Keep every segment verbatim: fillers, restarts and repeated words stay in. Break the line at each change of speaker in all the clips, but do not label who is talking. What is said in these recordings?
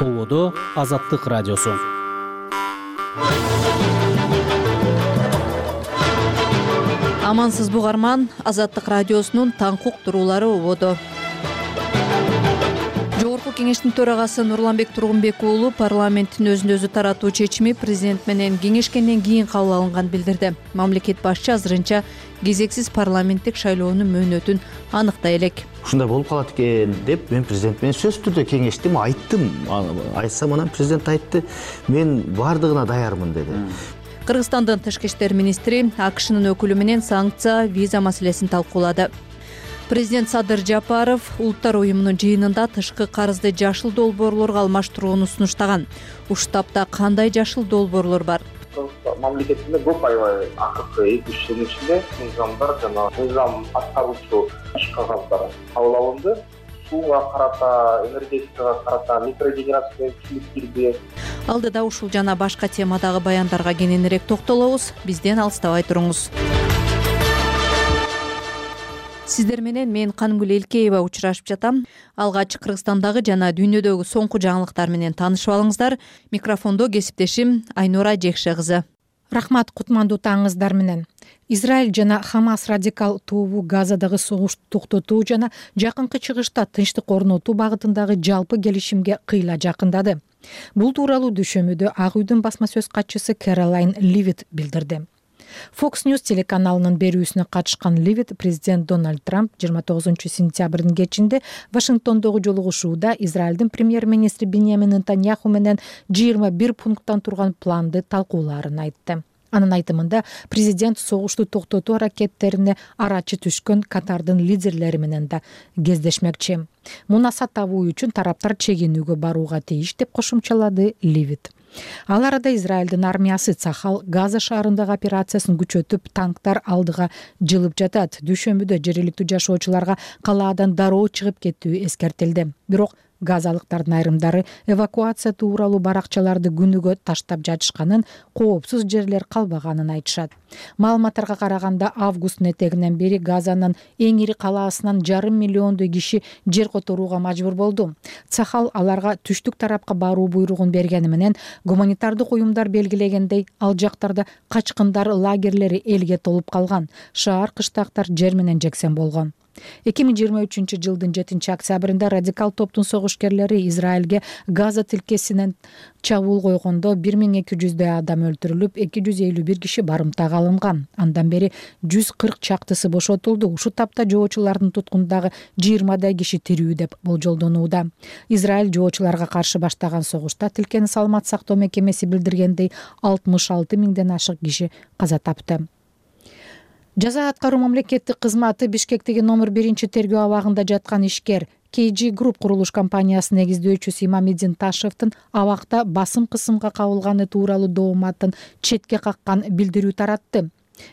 Ободо Азаттык радиосу.
Амансызбы угарман, Азаттык радиосунун таңкы уктуруулары ободо. Жогорку кеңештин төрагасы Нурланбек Тургунбек уулу парламенттин өзүн өзү таратуу чечими президент менен кеңешкенден кийин кабыл алынган билдирди. Мамлекет башчы азырынча кезексиз парламенттик шайлоонун мөөнөтүн аныктай элек.
Ушундай болуп калат экен деп мен президент менен сөзсүз түрдө кеңештим, айттым. Айтсам анан президент айтты, мен бардыгына даярмын деди.
Кыргызстандын тышкы иштер министри АКШнын өкүлү менен санкция, виза маселесин талкуулады. Президент Садыр Жапаров Улуттар уюмунун жыйынында тышкы карызды жашыл долбоорлорго алмаштырууну сунуштаган. Ушул тапта кандай жашыл долбоорлор бар?
Мамлекетинде көп аябай акыркы эки үч жылдын ичинде мыйзамдар жана мыйзам аткаруучу иш кагаздары кабыл алынды. Сууга карата, энергетикага карата микрогенерация күчүлүк кирди.
Алдыда ушул жана башка темадагы баяндарга кененирээк токтолобуз. Бизден алыстабай туруңуз. Сиздер менен мен Кангүл Элкеева учурашып жатам. Алгач Кыргызстандагы жана дүйнөдөгү соңку жаңылыктар менен таанышып алыңыздар. Микрофондо кесиптешим Айнура Жекше кызы.
Рахмат, кутмандуу таңыңыздар менен. Израиль жана Хамас радикал тобу Газадагы согушту токтотуу жана жакынкы чыгышта тынчтык орнотуу багытындагы жалпы келишимге кыйла жакындады. Бул тууралуу дүйшөмөдө Ак үйдүн басма сөз катчысы Кэролайн Ливит билдирди. Fox News телеканалынын берүүсүнө катышкан Ливит президент Дональд Трамп жыйырма тогузунчу сентябрдын кечинде Вашингтондогу жолугушууда Израилдин премьер-министри Биньямин Нетаньяху менен жыйырма бир пункттан турган планды талкуулаарын айтты. Анын айтымында президент согушту токтотуу аракеттерине арачы түшкөн Катардын лидерлери менен да кездешмекчи. Мунасат табуу үчүн тараптар чегинүүгө барууга тийиш деп кошумчалады Ливит. Ал арада Израилдин армиясы Цахал Газа шаарындагы операциясын күчөтүп, танктар алдыга жылып жатат. Дүйшөмбүдө жергиликтүү жашоочуларга калаадан дароо чыгып кетүү эскертилди. Бирок газалыктардын айрымдары эвакуация тууралуу баракчаларды күнүгө таштап жатышканын, коопсуз жерлер калбаганын айтышат. Маалыматтарга караганда августтун этегинен бери Газанын эң ири калаасынан жарым миллиондой киши жер которууга мажбур болду. Цахал аларга түштүк тарапка баруу буйругун бергени менен гуманитардык уюмдар белгилегендей, ал жактарда качкындар лагерлери элге толуп калган. Шаар кыштактар жер менен жексен болгон. эки миң жыйырма үчүнчү жылдын жетинчи октябрында радикал топтун согушкерлери Израилге Газа тилкесинен чабуул койгондо бир миң эки жүздөй адам өлтүрүлүп, эки жүз элүү бир киши барымтага алынган. Андан бери жүз кырк чактысы бошотулду. Ушул тапта жоочулардын туткундагы жыйырмадай киши тирүү деп болжолдонууда. Израиль жоочуларга каршы баштаган согушта тилкени саламат сактоо мекемеси билдиргендей алтымыш алты миңден ашык киши каза тапты. Жаза аткаруу мамлекеттик кызматы Бишкектеги номер биринчи тергөө абагында жаткан ишкер кей джи Group курулуш компаниясынын негиздөөчүсү Имамиддин Ташевдин абакта басым кысымга кабылганы тууралуу дооматын четке каккан билдирүү таратты.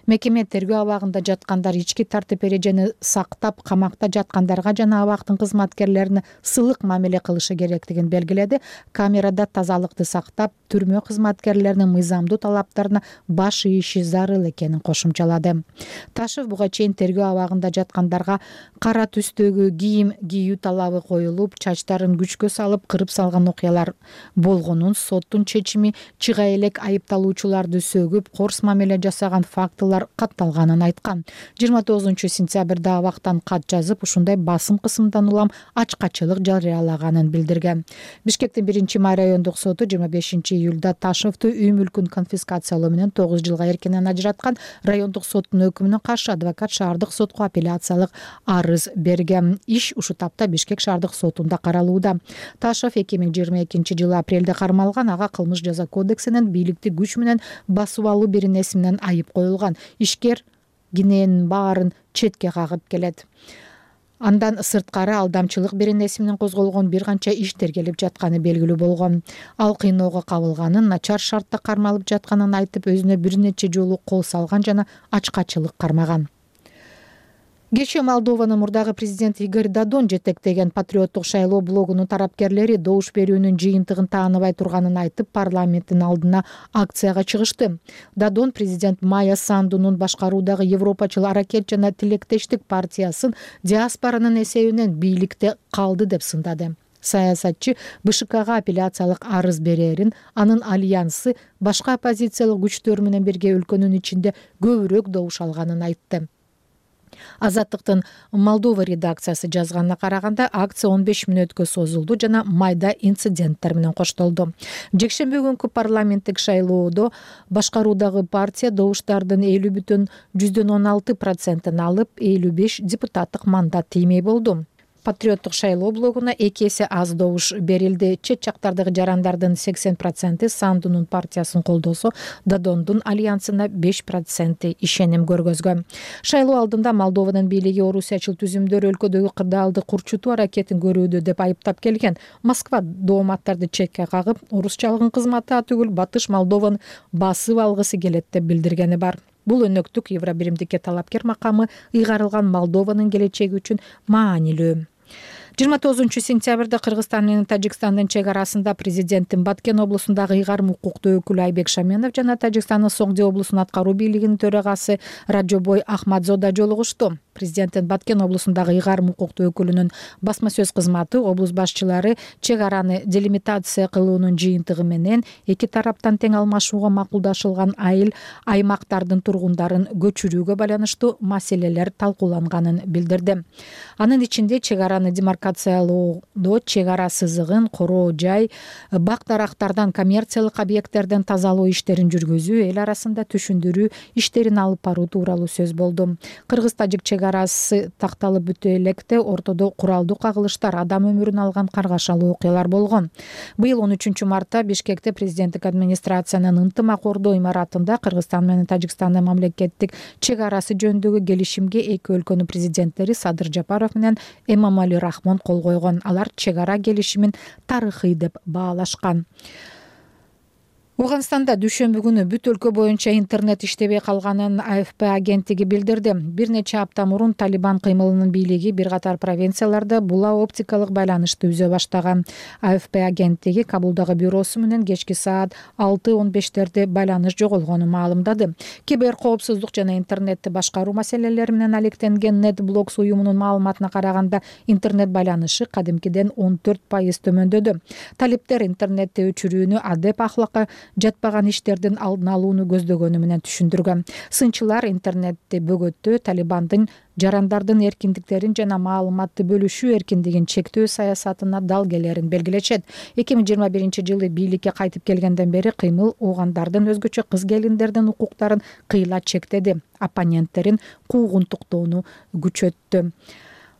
Мекеме тергөө абагында жаткандар ички тартип эрежени сактап, камакта жаткандарга жана абактын кызматкерлерине сылык мамиле кылышы керектигин белгиледи. Камерада тазалыкты сактап, түрмө кызматкерлеринин мыйзамдуу талаптарына баш ийиши зарыл экенин кошумчалады. Ташев буга чейин тергөө абагында жаткандарга кара түстөгү кийим кийүү талабы коюлуп, чачтарын күчкө салып, кырып салган окуялар болгонун, соттун чечими чыга элек айыпталуучуларды сөгүп, корс мамиле жасаган фактылар катталганын айткан. жыйырма тогузунчу сентябрда абактан кат жазып, ушундай басым кысымдан улам ачкачылык жарыялаганын билдирген. Бишкектин биринчи май райондук соту жыйырма бешинчи июлда Ташевду үй мүлкүн конфискациялоо менен тогуз жылга эркинен ажыраткан. Райондук соттун өкүмүнө каршы адвокат шаардык сотко апелляциялык арыз берген. Иш ушул тапта Бишкек шаардык сотунда каралууда. Ташев эки миң жыйырма экинчи жылы апрелде кармалган. Ага кылмыш жаза кодексинин бийликти күч менен басып алуу беренеси менен айып коюлган. Ишкер киненин баарын четке кагып келет. Андан сырткары алдамчылык беренеси менен козголгон бир канча иш тергелип жатканы белгилүү болгон. Ал кыйноого кабылганын, начар шартта кармалып жатканын айтып, өзүнө бир нече жолу кол салган жана ачкачылык кармаган. Кечээ Молдованын мурдагы президенти Игорь Додон жетектеген патриоттук шайлоо блогунун тарапкерлери добуш берүүнүн жыйынтыгын тааныбай турганын айтып, парламенттин алдына акцияга чыгышты. Додон президент Майя Сандунун башкаруудагы Европачыл аракет жана тилектештик партиясын диаспоранын эсебинен бийликте калды деп сындады. саясатчы БШКга апелляциялык арыз берерин, анын альянсы башка оппозициялык күчтөр менен бирге өлкөнүн ичинде көбүрөөк добуш алганын айтты. Азаттыктын Молдова редакциясы жазганына караганда акция он беш мүнөткө созулду жана майда инциденттер менен коштолду. Жекшемби күнкү парламенттик шайлоодо башкаруудагы партия добуштардын элүү бүтүн жүздөн он алты процентин алып, элүү беш депутаттык мандат тиймей болду. Патриоттук шайлоо блогуна эки эсе аз добуш берилди. Чет жактардагы жарандардын сексен проценти Сандунун партиясын колдосо, Дадондун альянсына беш проценти ишеним көргөзгөн. Шайлоо алдында Молдованын бийлиги орусиячыл түзүмдөр өлкөдөгү кырдаалды курчутуу аракетин көрүүдө деп айыптап келген. Москва дооматтарды четке кагып, орусчалыгын кызматы түгүл Батыш Молдованы басып алгысы келет деп билдиргени бар. Бул өнөктүк Евробиримдикке талапкер макамы ыйгарылган Молдованын келечеги үчүн маанилүү. жыйырма тогузунчу сентябрда Кыргызстан менен Тажикстандын чек арасында президенттин Баткен облусундагы ыйгарым укуктуу өкүлү Айбек Шаменов жана Тажикстандын Согди облусунун аткаруу бийлигинин төрагасы Раджобой Ахмадзода жолугушту. Президенттин Баткен облусундагы ыйгарым укуктуу өкүлүнүн басма сөз кызматы облус башчылары чек араны делимитация кылуунун жыйынтыгы менен эки тараптан тең алмашууга макулдашылган айыл аймактардын тургундарын көчүрүүгө байланыштуу маселелер талкууланганын билдирди. Анын ичинде чек араны демаркациялоодо чек ара сызыгын короо жай, бак дарактардан коммерциялык объекттерден тазалоо иштерин жүргүзүү, эл арасында түшүндүрүү иштерин алып баруу тууралуу сөз болду. Кыргыз-тажик чек арасы такталып бүтө электе ортодо куралдуу кагылыштар, адам өмүрүн алган каргашалуу окуялар болгон. Быйыл он үчүнчү мартта Бишкекте президенттик администрациянын ынтымак ордоо имаратында Кыргызстан менен Тажикстандын мамлекеттик чек арасы жөнүндөгү келишимге эки өлкөнүн президенттери Садыр Жапаров менен Эмомали Рахмон кол койгон. Алар чек ара келишимин тарыхый деп баалашкан. Ауганстанда дүйшөмбү күнү бүт өлкө боюнча интернет иштебей калганын А Ф П агенттиги билдирди. Бир нече апта мурун Талибан кыймылынын бийлиги бир катар провинцияларда була оптикалык байланышты үзө баштаган. А Ф П агенттиги Кабулдагы бюросу менен кечки саат алты он бештерде байланыш жоголгонун маалымдады. Кибер коопсуздук жана интернетти башкаруу маселелери менен алектенген NetBlocks уюмунун маалыматына караганда интернет байланышы кадимкиден он төрт пайыз төмөндөдү. Талиптер интернетти өчүрүүнү адеп ахлакка жатпаган иштердин алдын алууну көздөгөнү менен түшүндүргөн. Сынчылар интернетти бөгөттөө, Талибандын жарандардын эркиндиктерин жана маалыматты бөлүшүү эркиндигин чектөө саясатына далгелерин белгилечет. эки миң жыйырма биринчи жылы бийликке кайтып келгенден бери кыймыл оогандардын, өзгөчө кыз келиндердин укуктарын кыйла чектеди, оппоненттерин куугунтуктоону күчөттү.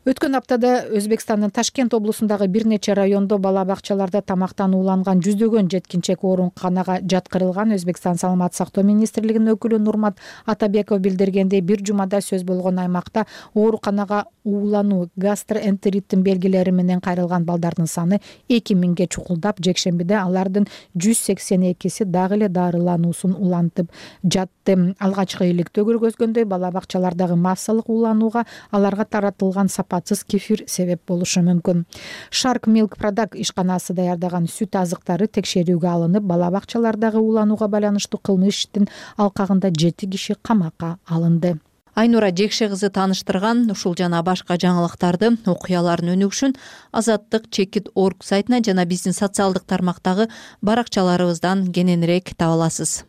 Өткөн аптада Өзбекстандын Ташкент облусундагы бир нече райондо бала бакчаларда тамактанууланган жүздөгөн жеткинчек ооруканага жаткырылган. Өзбекстан саламат сактоо министрлигинин өкүлү Нурмат Атабеков билдиргендей, бир жумада сөз болгон аймакта ооруканага уулануу, гастроэнтериттин белгилери менен кайрылган балдардын саны эки миңге чукулдап, жекшембиде алардын жүз сексен экиси дагы эле дарылануусун улантып жатты. Алгачкы иликтөө көргөзгөндөй, бала бакчалардагы массалык ууланууга аларга таратылган сапатсыз кефир себеп болушу мүмкүн. Shark Milk Product ишканасы даярдаган сүт азыктары текшерүүгө алынып, бала бакчалардагы ууланууга байланыштуу кылмыш иштин алкагында жети киши камакка алынды.
Айнура Жекше кызы тааныштырган ушул жана башка жаңылыктарды, окуялардын өнүгүшүн азаттык чекит точка орг сайтына жана биздин социалдык тармактагы баракчаларыбыздан кененирээк таба аласыз.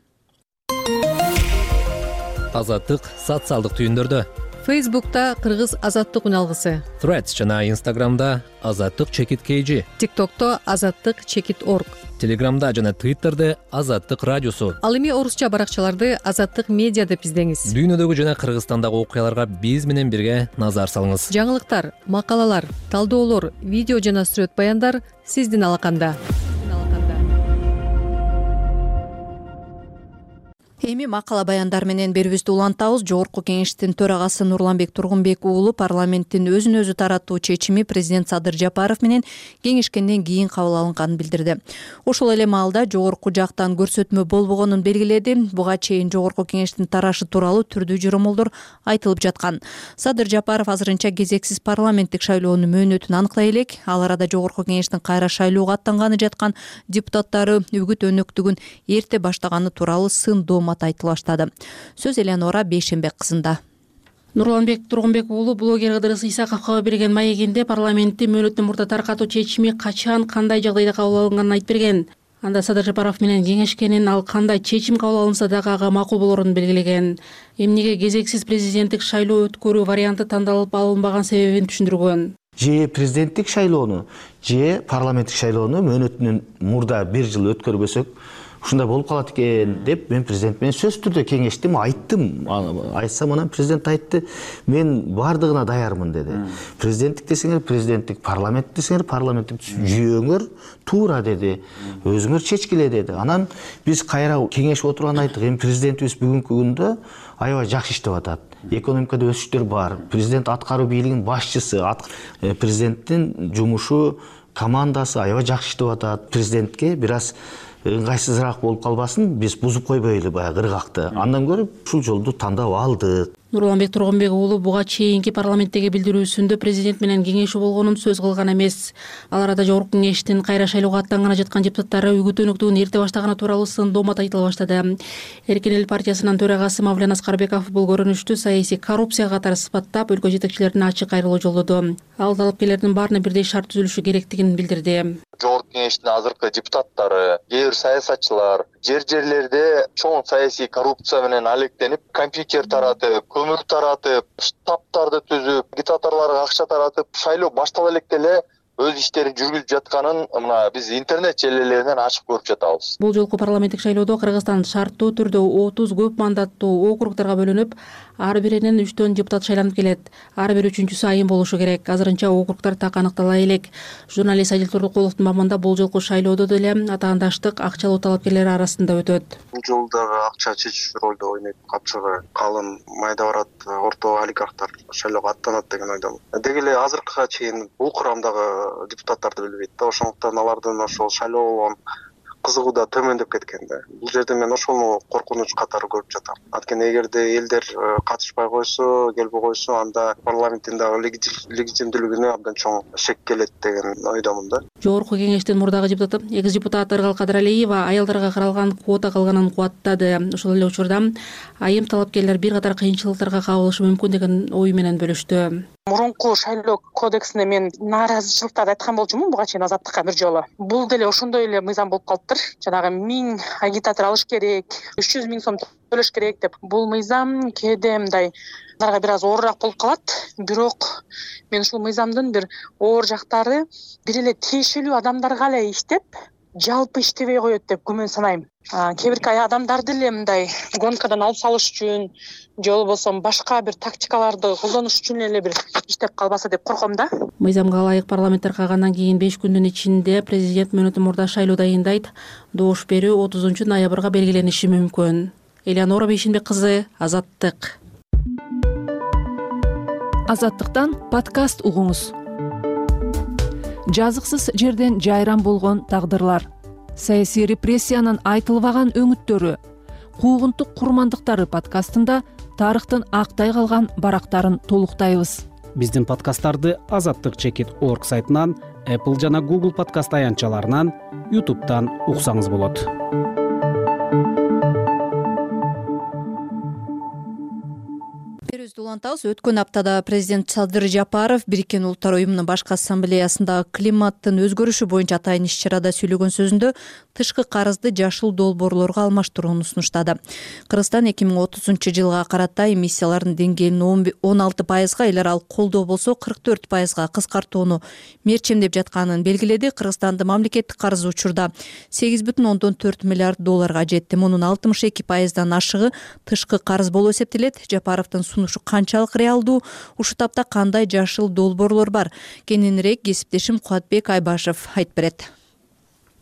Азаттык социалдык түйүндөрдө.
Фейсбукта Кыргыз азаттык үналгысы,
Threads жана Instagramда азаттык чекит кей жи,
ТикТокто азаттык чекит точка орг,
Телеграмда жана Twitterде азаттык радиосу.
Ал эми орусча баракчаларды азаттык медиа деп издеңиз.
Дүйнөдөгү жана Кыргызстандагы окуяларга биз менен бирге назар салыңыз.
Жаңылыктар, макалалар, талдоолор, видео жана сүрөт баяндар сиздин алаканда.
Эми макала баяндар менен берүүбүздү улантабыз. Жогорку кеңештин төрагасы Нурланбек Тургунбек уулу парламенттин өзүн өзү тараттуу чечими президент Садыр Жапаров менен кеңешкенден кийин кабыл алынганын билдирди. Ошол эле маалда жогорку жактан көрсөтмө болбогонун белгиледи. Буга чейин жогорку кеңештин тарашы тууралуу түрдүү журумулдар айтылып жаткан. Садыр Жапаров азырынча кезексиз парламенттик шайлоонун мөөнөтүн аныклай элек. Ал арада жогорку кеңештин кайра шайлоого аттанганы жаткан депутаттары үгүт өнөктүгүн эрте баштаганы тууралуу сын доомат айтыла баштады. Сөз Элеонора Бейшенбек кызында.
Нурланбек Тургунбек уулу блогер Ыдырыс Исаковго берген маегинде парламентти мөөнөттөн мурда таркатуу чечими качан, кандай жагдайда кабыл алынганын айтып берген. Анда Садыр Жапаров менен кеңешкенин, ал кандай чечим кабыл алынса дагы ага макул болорун белгилеген. Эмнеге кезексиз президенттик шайлоо өткөрүү варианты тандалып алынбаган себебин түшүндүргөн.
Же президенттик шайлоону, же парламенттик шайлоону мөөнөтүнөн мурда бир жыл өткөрбөсөк ушундай болуп калат экен деп мен президент менен сөзсүз түрдө кеңештим, айттым. Айтсам анан президент айтты, мен бардыгына даярмын деди. Президенттик десеңер президенттик, парламент десеңер парламенттик жүйөңөр туура деди. Өзүңөр чечкиле деди. Анан биз кайра кеңешип отурганда айттык, эми президентибиз бүгүнкү күндө аябай жакшы иштеп атат. Экономикада өсүштөр бар. Президент аткаруу бийлигинин башчысы, президенттин жумушу, командасы аябай жакшы иштеп атат. Президентке бир аз ыңгайсызыраак болуп калбасын, биз бузуп койбойлу баягы ыргакты. Андан көрүп ушул жолду тандап алдык.
Нурланбек Тургунбек уулу буга чейинки парламенттеги билдирүүсүндө президент менен кеңешүү болгонун сөз кылган эмес. Ал арада жогорку кеңештин кайра шайлоого аттанганы жаткан депутаттары үгүт өнүктүүнүн эрте баштаганы тууралуу сын доомат айтыла баштады. Эркин эл партиясынын төрагасы Мавлен Аскарбеков бул көрүнүштү саясий коррупция катары сыпаттап, өлкө жетекчилерине ачык кайрылуу жолдоду. Ал талапкерлердин баарына бирдей шарт түзүлүшү керектигин билдирди.
Жогорку кеңештин азыркы депутаттары, кээ бир саясатчылар жер жерлерде чоң саясий коррупция менен алектенип, компьютер таратып, көмүр таратып, штабтарды түзүп, агитаторлорго акча таратып, шайлоо баштала электе эле өз иштерин жүргүзүп жатканын мына биз интернет желелеринен ачык көрүп жатабыз.
Бул жолку парламенттик шайлоодо Кыргызстан шарттуу түрдө отуз көп мандаттуу округдарга бөлүнүп, ар биринен үчтөн депутат шайланып келет. Ар бир үчүнчүсү айым болушу керек. Азырынча округдар так аныктала элек. Журналист Адил Турдукуловдун мамында бул жолку шайлоодо деле атаандаштык акчалуу талапкерлер арасында өтөт.
Бул жолу дагы акча чечүүчү ролду ойнойт. Капчыгы калын, майда барат, орто олигархтар шайлоого аттанат деген ойдомун. Деги эле азыркыга чейин бул курамдагы депутаттарды билбейт да, ошондуктан алардын ошол шайлоо болгон кызыгуу да төмөндөп кеткен да. Бул жерде мен ошону коркунуч катары көрүп жатам. Анткени эгерде элдер катышпай койсо, келбей койсо, анда парламенттин дагы легитимдүүлүгүнө абдан чоң шек келет деген ойдомун да.
Жогорку кеңештин мурдагы депутаты, экс депутат Ыргал Кадыралиева аялдарга каралган квота калганын кубаттады. Ошол эле учурда айым талапкерлер бир катар кыйынчылыктарга кабылышы мүмкүн деген ой менен бөлүштү.
Мурунку шайлоо кодексине мен нааразычылыктарды айткан болчумун буга чейин Азаттыкка бир жолу. Бул деле ошондой эле мыйзам болуп калыптыр. Жанагы миң агитатор алыш керек, үч жүз миң сом төлөш керек деп. Бул мыйзам кээде мындай аларга бир аз оорураак болуп калат. Бирок мен ушул мыйзамдын бир оор жактары бир эле тиешелүү адамдарга эле иштеп, жалпы иштебей коет деп күмөн санайм. Кээ бир адамдар деле мындай гонкадан алып салыш үчүн же болбосо башка бир тактикаларды колдонуш үчүн эле бир иштеп калбаса деп корком да.
Мыйзамга ылайык парламенттер калгандан кийин беш күндүн ичинде президент мөөнөтүн мурда шайлоо дайындайт. Добуш берүү отузунчу ноябрга белгилениши мүмкүн. Элеонора Бейшенбек кызы, Азаттык.
Азаттыктан подкаст угуңуз. Жазыксыз жерден жайран болгон тагдырлар, саясий репрессиянын айтылбаган өңүттөрү, куугунтук курмандыктары подкастында тарыхтын актай калган барактарын толуктайбыз.
Биздин подкасттарды азаттык чекит орг сайтынан, Apple жана Google подкаст аянтчаларынан, YouTube'дан уксаңыз болот.
Өткөн аптада президент Садыр Жапаров Бириккен Улуттар уюмунун башкы ассамблеясында климаттын өзгөрүшү боюнча атайын иш-чарада сүйлөгөн сөзүндө тышкы карызды жашыл долбоорлорго алмаштырууну сунуштады. Кыргызстан эки миң отузунчу жылга карата эмиссиялардын деңгээлин он алты пайызга, эл аралык колдоо болсо кырк төрт пайызга кыскартууну мерчемдеп жатканын белгиледи. Кыргызстандын мамлекеттик карызы учурда сегиз бүтүн ондон төрт миллиард долларга жетти. Мунун алтымыш эки пайыздан ашыгы тышкы карыз болуп эсептелет. Жапаровдун сунушу канчалык реалдуу, ушу тапта кандай жашыл долбоорлор бар? Кененирээк кесиптешим Кубатбек Айбашев айтып берет.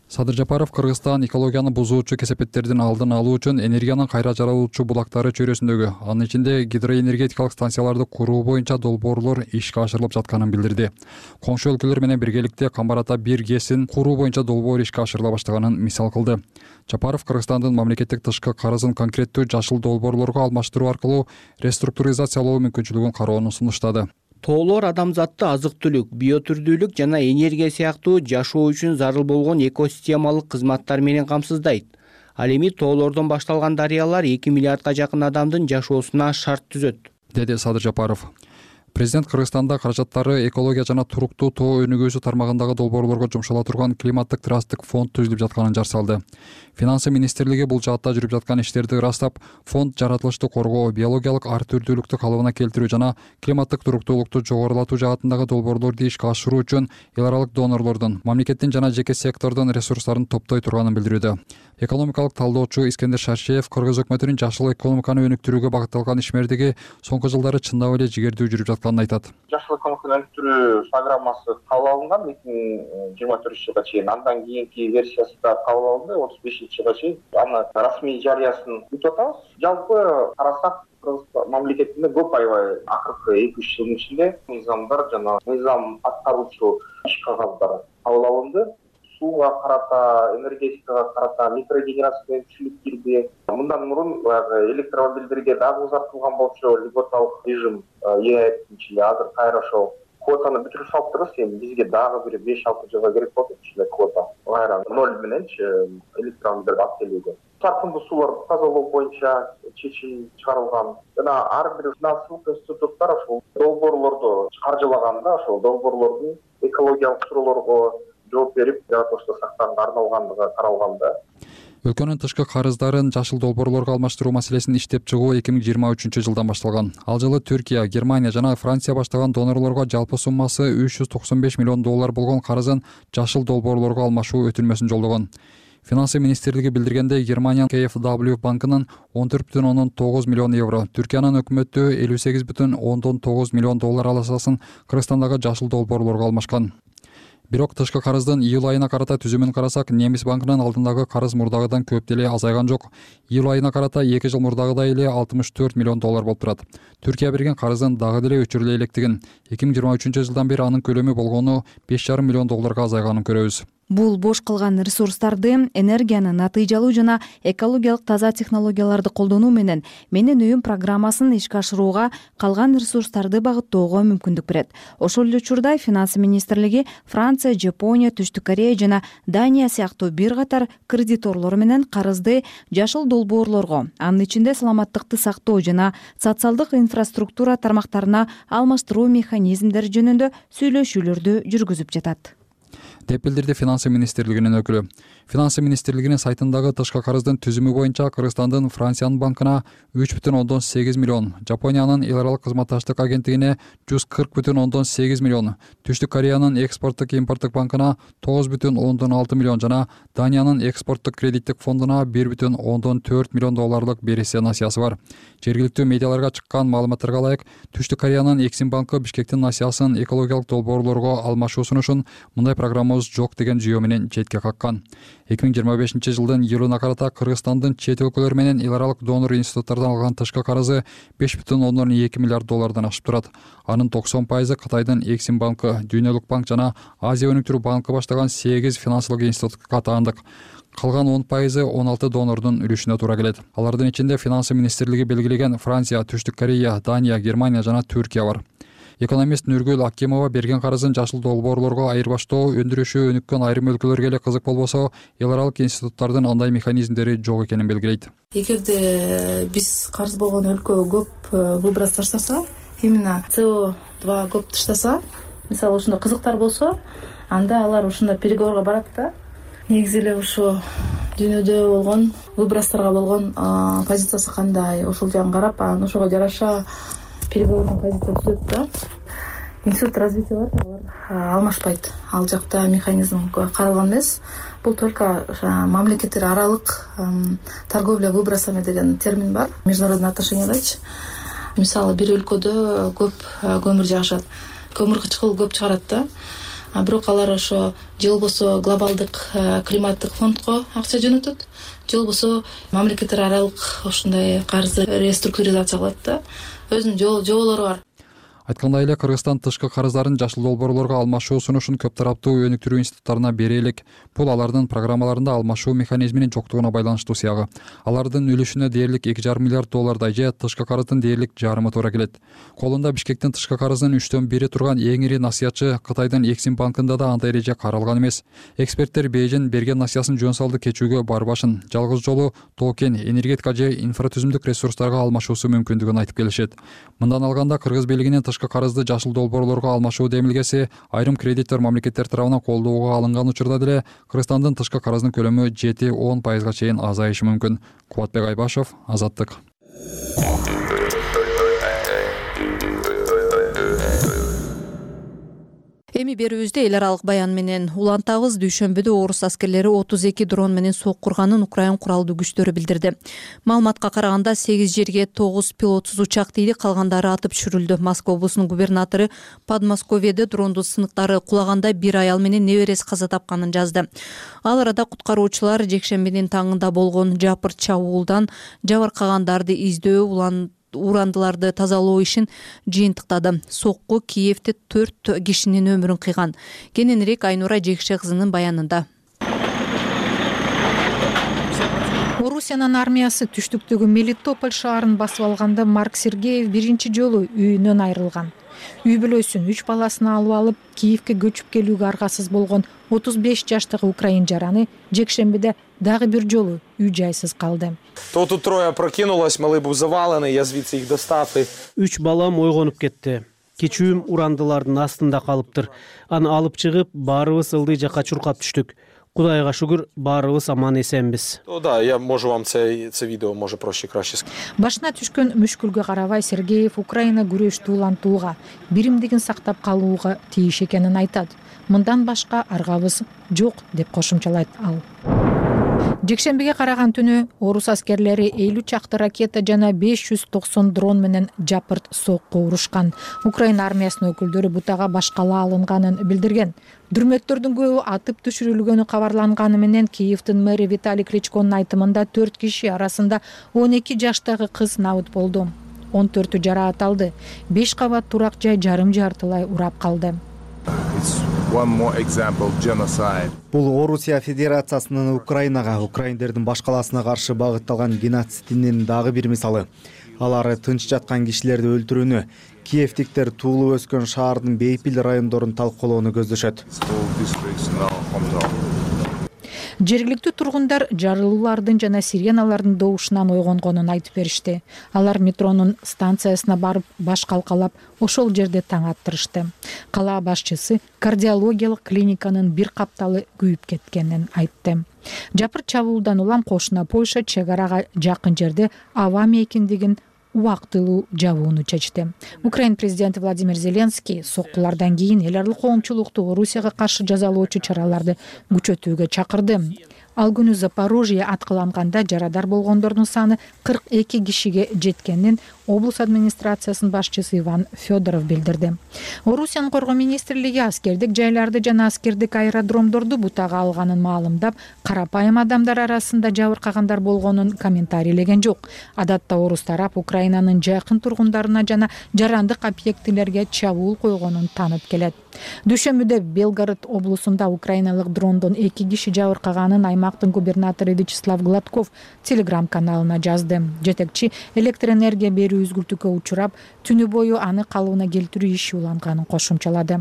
Садыр Жапаров Кыргызстан экологияны бузуучу кесепеттердин алдын алуу үчүн энергиянын кайра жаралуучу булактары чөйрөсүндөгү, анын ичинде гидроэнергетикалык станцияларды куруу боюнча долбоорлор ишке ашырылып жатканын билдирди. Коңшу өлкөлөр менен биргеликте Камбар-Ата бир гэсин куруу боюнча долбоор ишке ашырыла баштаганын мисал кылды. Жапаров Кыргызстандын мамлекеттик тышкы карызын конкреттүү жашыл долбоорлорго алмаштыруу аркылуу реструктуризациялоо мүмкүнчүлүгүн кароону сунуштады.
Тоолор адамзатты азык-түлүк, биотүрдүүлүк жана энергия сыяктуу жашоо үчүн зарыл болгон экосистемалык кызматтар менен камсыздайт. Ал эми тоолордон башталган дарыялар эки миллиардга жакын адамдын жашоосуна шарт түзөт.
деди Садыр Жапаров. Президент Кыргызстанда каражаттары экология жана туруктуу тоо өнүгүүсү тармагындагы долбоорлорго жумшала турган климаттык трасттык фонд түзүлүп жатканын жар салды. Финансы министрлиги бул жаатта жүрүп жаткан иштерди ырастап, фонд жаратылышты коргоо, биологиялык ар түрдүүлүктү калыбына келтирүү жана климаттык туруктуулукту жогорулатуу жаатындагы долбоорлорду ишке ашыруу үчүн эл аралык донорлордун, мамлекеттин жана жеке сектордун ресурстарын топтой турганын билдирүүдө. Экономикалык талдоочу Искендер Шаршеев Кыргыз өкмөтүнүн жашыл экономиканы өнүктүрүүгө багытталган ишмердиги соңку жылдары чындап эле жигердүү жүрүп жатканын айтат.
Жашыл экономиканы өнүктүрүү программасы кабыл алынган эки миң жыйырма төртүнчү жылга чейин, андан кийинки версиясы да кабыл алынды отуз бешинчи жылга чейин. Аны расмий жарыясын күтүп атабыз. Жалпы карасак, Кыргыз мамлекетинде көп аябай акыркы эки үч жылдын ичинде мыйзамдар жана мыйзам аткаруучу иш кагаздары кабыл алынды. Сууга карата, энергетикага карата микрогенерация күчүлүк кирди. Мындан мурун баягы электромобилдерге дагы узартылган болчу льготалык режим ээчи эле азыр кайра ошол квотаны бүтүрүп салыптырбыз. Эми бизге дагы бир беш алты жылга керек болот ушундай квота. Кайра ноль мененчи электромобилдерди алып келүүгө. Саркындуу сууларды тазалоо боюнча чечим чыгарылган. Жана ар бир финансылык институттар ошол долбоорлорду каржылаганда, ошол долбоорлордун экологиялык суроолорго жооп берип, жаратылышты сактоого арналгандыгы каралган да.
Өлкөнүн тышкы карыздарын жашыл долбоорлорго алмаштыруу маселесин иштеп чыгуу эки миң жыйырма үчүнчү жылдан башталган. Ал жылы Түркия, Германия жана Франция баштаган донорлорго жалпы суммасы үч жүз токсон беш миллион доллар болгон карызын жашыл долбоорлорго алмашуу өтүнмөсүн жолдогон. Финансы министрлиги билдиргендей, Германиянын кей эф дабл ю банкынын он төрт бүтүн ондон тогуз миллион евро, Түркиянын өкмөтү элүү сегиз бүтүн ондон тогуз миллион доллар аласасын Кыргызстандагы жашыл долбоорлорго алмашкан. Бирок тышкы карыздын июль айына карата түзүмүн карасак, Немис банкынын алдындагы карыз мурдагыдан көп деле азайган жок. Июль айына карата эки жыл мурдагыдай эле алтымыш төрт миллион доллар болуп турат. Түркия берген карыздын дагы деле өчүрүлө электигин, эки миң жыйырма үчүнчү жылдан бери анын көлөмү болгону беш жарым миллион долларга азайганын көрөбүз.
Бул бош калган ресурстарды энергияны натыйжалуу жана экологиялык таза технологияларды колдонуу менен Менин үйүм программасын ишке ашырууга, калган ресурстарды багыттоого мүмкүндүк берет. Ошол эле учурда Финансы министрлиги Франция, Жапония, Түштүк Корея жана Дания сыяктуу бир катар кредиторлор менен карызды жашыл долбоорлорго, анын ичинде саламаттыкты сактоо жана социалдык инфраструктура тармактарына алмаштыруу механизмдери жөнүндө сүйлөшүүлөрдү жүргүзүп жатат,
деп билдирди Финансы министрлигинин өкүлү. Финансы министрлигинин сайтындагы тышкы карыздын түзүмү боюнча Кыргызстандын Франциянын банкына үч бүтүн ондон сегиз миллион, Жапониянын эл аралык кызматташтык агенттигине жүз кырк бүтүн ондон сегиз миллион, Түштүк Кореянын экспорттук импорттук банкына тогуз бүтүн ондон алты миллион жана Даниянын экспорттук кредиттик фондуна бир бүтүн ондон төрт миллион долларлык бериси насыясы бар. Жергиликтүү медиаларга чыккан маалыматтарга ылайык, Түштүк Кореянын Эксим банкы Бишкектин насыясын экологиялык долбоорлорго алмашуу сунушун мындай программабыз жок деген жүйө менен четке каккан. эки миң жыйырма бешинчи жылдын июлуна карата Кыргызстандын чет өлкөлөр менен эл аралык донор институттардан алган тышкы карызы беш бүтүн ондон эки миллиард доллардан ашып турат. Анын токсон пайызы Кытайдын Эксим банкы, Дүйнөлүк банк жана Азия өнүктүрүү банкы баштаган сегиз финансылык институтка катаандык. Калган он пайызы он алты донордун үлүшүнө туура келет. Алардын ичинде Финансы министрлиги белгилеген Франция, Түштүк Корея, Дания, Германия жана Түркия бар. Экономист Нургүл Акимова берген карызын жашыл долбоорлорго айырбаштоо, өндүрүшү өнүккөн айрым өлкөлөргө эле кызык болбосо, эл аралык институттардын андай механизмдери жок экенин белгилейт.
Эгерде биз карыз болгон өлкө көп выброс таштаса, именно си о два көп таштаса, мисалы ушундай кызыктар болсо, анда алар ушундай переговорго барат да. Негизи эле ушу дүйнөдө болгон выбросторго болгон позициясы кандай, ошол жагын карап, анан ошого жараша переговордун позиция түзөт да. Институт развития бар, алар алмашпайт. Ал жакта механизм каралган эмес. Бул только мамлекеттер аралык торговля выбросами деген термин бар международный отношениядачы. Мисалы бир өлкөдө көп көмүр жагышат, көмүр кычкыл көп чыгарат да. А бирок алар ошо же болбосо глобалдык климаттык фондко акча жөнөтөт, же болбосо мамлекеттер аралык ушундай карызды реструктуризация кылат да. Өзүнүн жоболору бар.
Айткандай эле Кыргызстан тышкы карыздарын жашыл долбоорлорго алмашуу сунушун көп тараптуу өнүктүрүү институттарына бере элек. Бул алардын программаларында алмашуу механизминин жоктугуна байланыштуу сыягы. Алардын үлүшүнө дээрлик эки жарым миллиард доллардай же тышкы карыздын дээрлик жарымы туура келет. Колунда Бишкектин тышкы карыздын үчтөн бири турган эң ири насыятчы Кытайдын Эксим банкында да андай эреже каралган эмес. Эксперттер Бейжин берген насыясын жөн салды кечүүгө барбашын, жалгыз жолу тоокен, энергетика же инфратүзүмдүк ресурстарга алмашуусу мүмкүндүгүн айтып келишет. Мындан алганда Кыргыз бийлигинин тышкы карызды жашыл долбоорлорго алмашуу демилгеси айрым кредиттер мамлекеттер тарабынан колдоого алынган учурда деле Кыргызстандын тышкы карыздын көлөмү жети он пайызга чейин азайышы мүмкүн. Кубатбек Айбашев, Азаттык.
Эми берүүбүздө эл аралык баян менен улантабыз. Дүйшөмбүдө орус аскерлери отуз эки дрон менен соккурганын Украин куралдуу күчтөрү билдирди. Маалыматка караганда сегиз жерге тогуз пилотсуз учак тийди, калгандары атып түшүрүлдү. Москва облусунун губернатору Подмосковьеде дрондун сыныктары кулаганда бир аял менен небереси каза тапканын жазды. Ал арада куткаруучулар жекшембинин таңында болгон жапыр чабуулдан жабыркагандарды издөө, улан урандыларды тазалоо ишин жыйынтыктады. Сокку Киевде төрт кишинин өмүрүн кыйган. Кененирээк Айнура Жекше кызынын баянында.
Орусиянын армиясы түштүктөгү Мелитополь шаарын басып алганда Марк Сергеев биринчи жолу үйүнөн айрылган. Үй бүлөсүн үч баласын алып алып Киевге көчүп келүүгө аргасыз болгон отуз беш жаштагы украин жараны жекшембиде дагы бир жолу үй жайсыз калды.
То тут трое прокинулось, малы був завалены, я звідси их достав.
Үч балам ойгонуп кетти. Кечүүм урандылардын астында калыптыр. Аны алып чыгып, баарыбыз ылдый жакка чуркап түштүк. Кудайга шүгүр, баарыбыз аман эсенбиз.
То да, я можу вам це, це видео може проще краще.
Башына түшкөн мүшкүлгө карабай Сергеев Украина күрөштү улантууга, биримдигин сактап калууга тийиш экенин айтат. Мындан башка аргабыз жок деп кошумчалайт ал. Жекшембиге караган түнү орус аскерлери элүү чакты ракета жана беш жүз токсон дрон менен жапырт сокку урушкан. Украина армиясынын өкүлдөрү бутага башкала алынганын билдирген. Дүрмөттөрдүн көбү атып түшүрүлгөнү кабарланганы менен Киевдин мэри Виталий Кличконун айтымында төрт киши арасында он эки жаштагы кыз набыт болду. он төртү жараат алды. беш кабат турак жай жарым жартылай урап калды.
Бул Орусия Федерациясынын Украинага, украиндердин башкаласына каршы багытталган геноцидинин дагы бир мисалы. Алар тынч жаткан кишилерди өлтүрүүнү, киевтиктер туулуп өскөн шаардын бейпил райондорун талкуулоону көздөшөт. Жергиликтүү тургундар жарылуулардын жана сиреналардын добушунан ойгонгонун айтып беришти. Алар метронун станциясына барып баш калкалап, ошол жерде таң аттырышты. Кала башчысы кардиологиялык клиниканын бир капталы күйүп кеткенин айтты. Жапыр чабуулдан улам кошуна Польша чек арага жакын жерде аба мейкиндигин убактылуу жабууну чечти. Украин президенти Владимир Зеленский соккулардан кийин эл аралык коомчулукту Орусияга каршы жазалоочу чараларды күчөтүүгө чакырды. Ал күнү Запорожье аткыланганда жарадар болгондордун саны кырк эки кишиге жеткенин облус администрациясынын башчысы Иван Федоров билдирди. Орусиянын коргоо министрлиги аскердик жайларды жана аскердик аэродромдорду бутага алганын маалымдап, карапайым адамдар арасында жабыркагандар болгонун комментарийлеген жок. Адатта орус тарап Украинанын жакын тургундарына жана жарандык объектилерге чабуул койгонун таанып келет. Дүйшөмбүдө Белгород облусунда украиналык дрондон эки киши жабыркаганын аймактын губернатору Вячеслав Гладков телеграм каналына жазды. Жетекчи электр энергия берүү үзгүлтүккө учурап, түнү бою аны калыбына келтирүү иши уланганын кошумчалады.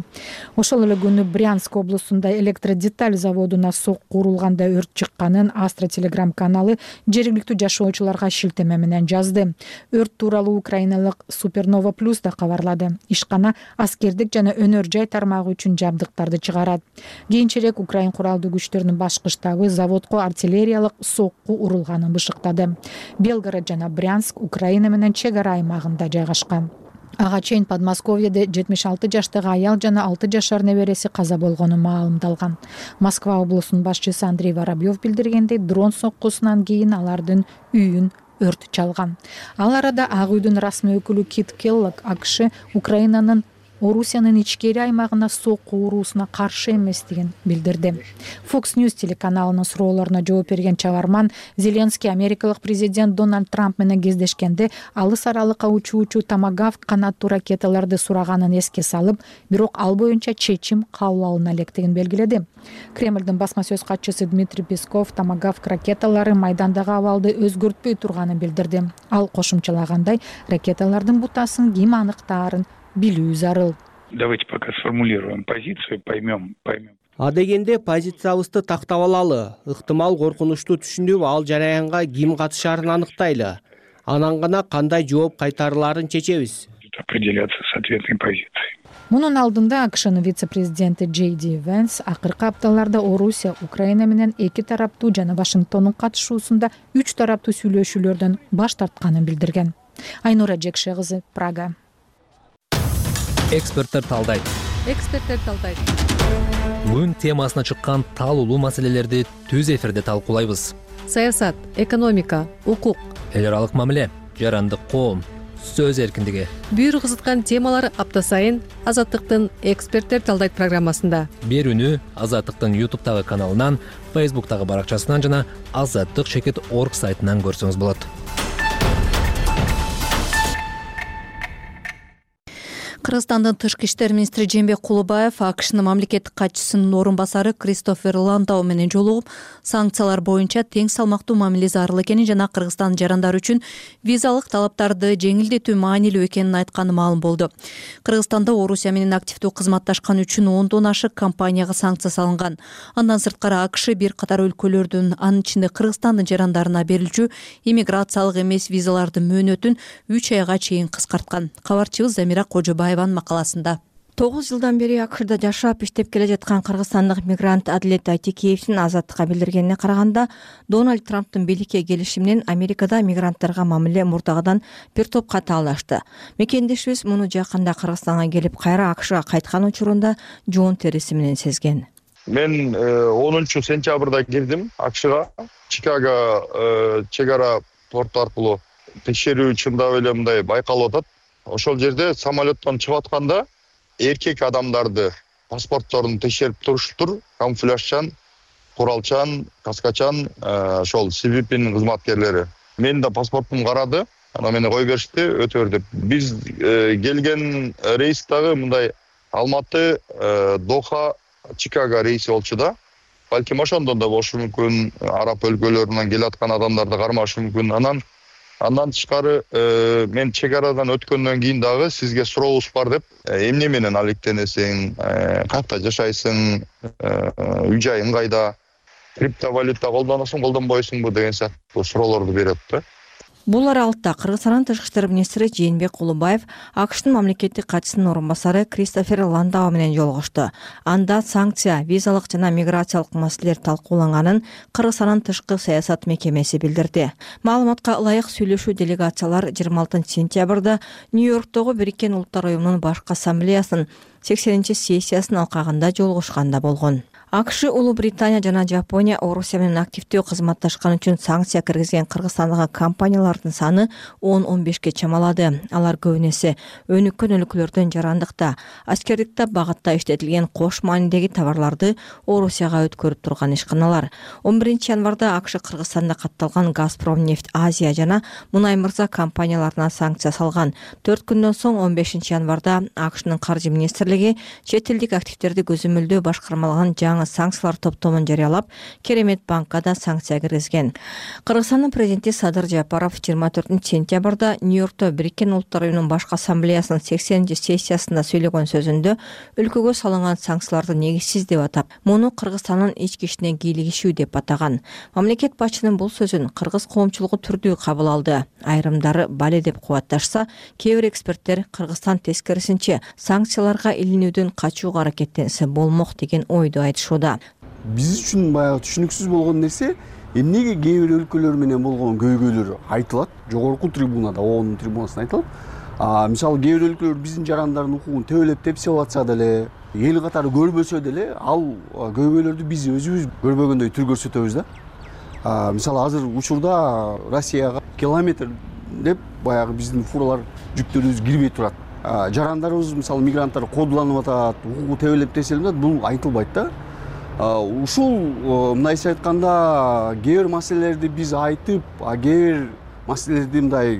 Ошол эле күнү Брянск облусунда электродеталь заводуна сокку урулганда өрт чыкканын Астра телеграм каналы жергиликтүү жашоочуларга шилтеме менен жазды. Өрт тууралуу украиналык Супернова Плюс да кабарлады. Ишкана аскердик жана өнөр жай тармагы үчүн жабдыктарды чыгарат. Кийинчерээк Украин куралдуу күчтөрүнүн башкы штабы заводко артиллериялык сокку урулганын бышыктады. Белгород жана Брянск Украина менен чек ара аймагында жайгашкан. Ага чейин Подмосковьеде жетимиш алты жаштагы аял жана алты жашар небереси каза болгону маалымдалган. Москва облусунун башчысы Андрей Воробьев билдиргендей, дрон соккусунан кийин алардын үйүн өрт чалган. Ал арада Ак үйдүн расмий өкүлү Кит Келлог АКШ Украинанын Орусиянын ичкери аймагына сокку уруусуна каршы эместигин билдирди. Fox News телеканалынын суроолоруна жооп берген чыгарман Зеленский америкалык президент Дональд Трамп менен кездешкенде алыс аралыкка учуучу Томагавк канаттуу ракеталарды сураганын эске салып, бирок ал боюнча чечим кабыл алына электигин белгиледи. Кремлдин басма сөз катчысы Дмитрий Песков Томагавк ракеталары майдандагы абалды өзгөртпөй турганын билдирди. Ал кошумчалагандай, ракеталардын бутасын ким аныктаарын билүү зарыл.
Давайте пока сформулируем позицию, поймем, поймем.
А дегенде позициябызды тактап алалы. Ыктымал коркунучту түшүнүп, ал жараянга ким катышаарын аныктайлы. Анан гана кандай жооп кайтарылаарын чечебиз.
Определяться с ответной позицией.
Мунун алдында АКШнын вице-президенти Джей Ди Венс акыркы апталарда Орусия, Украина менен эки тараптуу жана Вашингтондун катышуусунда үч тараптуу сүйлөшүүлөрдөн баш тартканын билдирген. Айнура Жекше кызы, Прага.
Эксперттер талдайт.
Эксперттер талдайт.
Күн темасына чыккан талуулуу маселелерди түз эфирде талкуулайбыз.
Саясат, экономика, укук,
эл аралык мамиле, жарандык коом, сөз эркиндиги.
Бүйүр кызыткан темалар апта сайын Азаттыктын Эксперттер талдайт программасында.
Берүүнү Азаттыктын ютубтагы каналынан, фейсбуктагы баракчасынан жана азаттык чекит точка орг сайтынан көрсөңүз болот.
Кыргызстандын тышкы иштер министри Жээнбек Кулубаев АКШнын мамлекеттик катчысынын орун басары Кристофер Ландау менен жолугуп, санкциялар боюнча тең салмактуу мамиле зарыл экенин жана Кыргызстан жарандары үчүн визалык талаптарды жеңилдетүү маанилүү экенин айтканы маалым болду. Кыргызстанда Орусия менен активдүү кызматташкан үчүн ондон ашык компанияга санкция салынган. Андан сырткары АКШ бир катар өлкөлөрдүн, анын ичинде Кыргызстандын жарандарына берилчү иммиграциялык эмес визалардын мөөнөтүн үч айга чейин кыскарткан. Кабарчыбыз Замира Кожобаева макаласында.
тогуз жылдан бери АКШда жашап иштеп келе жаткан кыргызстандык мигрант Адилет Айтекеевдин Азаттыкка билдиргенине караганда, Дональд Трамптын бийликке келиши менен Америкада мигранттарга мамиле мурдагыдан бир топ катаалашты. Мекендешибиз муну жакында Кыргызстанга келип, кайра АКШга кайткан учурунда жоон териси менен сезген.
Мен онунчу сентябрда кирдим АКШга. Чикаго чек ара порту аркылуу текшерүү чындап эле мындай байкалып атат. Ошол жерде самолеттон чыгып атканда эркек адамдарды паспортторун текшерип туруштур, камуфляжчан, куралчан, каскачан, ошол Си Би П'нин кызматкерлери. Мен да паспортумду карады, анан мени кое беришти, өтө бер деп. Биз келген рейс дагы мындай Алматы, Доха, Чикаго рейси болчу да. Балким ошондон да болушу мүмкүн, араб өлкөлөрүнөн келаткан адамдарды кармашы мүмкүн. Анан Андан тышкары мен чек арадан өткөндөн кийин дагы сизге сурообуз бар деп, эмне менен алектенесиң, кайерде жашайсың, үй жайың кайда, криптовалюта колдоносуң, колдонбойсуңбу деген сыяктуу суроолорду берет да.
Бул аралыкта Кыргызстандын тышкы иштер министри Жээнбек Кулубаев АКШнын мамлекеттик катчысынын орун басары Кристофер Ландау менен жолугушту. Анда санкция, визалык жана миграциялык маселелер талкууланганын Кыргызстандын тышкы саясат мекемеси билдирди. Маалыматка ылайык сүйлөшүү делегациялар жыйырма алтынчы сентябрда Нью-Йорктогу Бириккен Улуттар уюмунун башкы ассамблеясынын сексенинчи сессиясынын алкагында жолугушканда болгон. АКШ, Улуу Британия жана Жапония Орусия менен активдүү кызматташкан үчүн санкция киргизген Кыргызстандагы компаниялардын саны он он бешке чамалады. Алар көбүнесе өнүккөн өлкөлөрдөн жарандыкта, аскердикте багытта иштетилген кош маанидеги товарларды Орусияга өткөрүп турган ишканалар. он биринчи январда АКШ Кыргызстанда катталган Газпром нефть Азия жана Мунай Мырза компанияларына санкция салган. төрт күндөн соң он бешинчи январда АКШнын каржы министрлиги чет элдик активдерди көзөмөлдөө башкармалган жаңы санкциялар топтомун жарыялап, Керемет банкка да санкция киргизген. Кыргызстандын президенти Садыр Жапаров жыйырма төртүнчү сентябрда Нью-Йоркто Бириккен Улуттар уюмунун башкы ассамблеясынын сексенинчи сессиясында сөйлөгөн сөзүндө өлкөгө салынган санкцияларды негизсиз деп атап, муну Кыргызстандын ички ишине кийлигишүү деп атаган. Мамлекет башчынын бул сөзүн кыргыз коомчулугу түрдүү кабыл алды. Айрымдары бале деп кубатташса, кээ бир эксперттер Кыргызстан тескерисинче санкцияларга илинүүдөн качууга аракеттенсе болмок деген ойду айтышты.
Биз үчүн баягы түшүнүксүз болгон нерсе, эмнеге кээ бир өлкөлөр менен болгон көйгөйлөр айтылат, жогорку трибунада, ООНдун трибунасында айтылат. А мисалы кээ бир өлкөлөр биздин жарандардын укугун төөлөп тепсеп атса деле, эл катары көрбөсө деле, ал көйгөйлөрдү биз өзүбүз көрбөгөндөй түр көрсөтөбүз да. А мисалы азыр учурда Россияга километр деп баягы биздин фуралар жүктөрүбүз кирбей турат. жарандарыбыз мисалы мигранттар кодуланып атат, укугу тебелеп теселип атат, бул айтылбайт да. Ушул мындайча айтканда кээ бир маселелерди биз айтып, кээ бир маселелерди мындай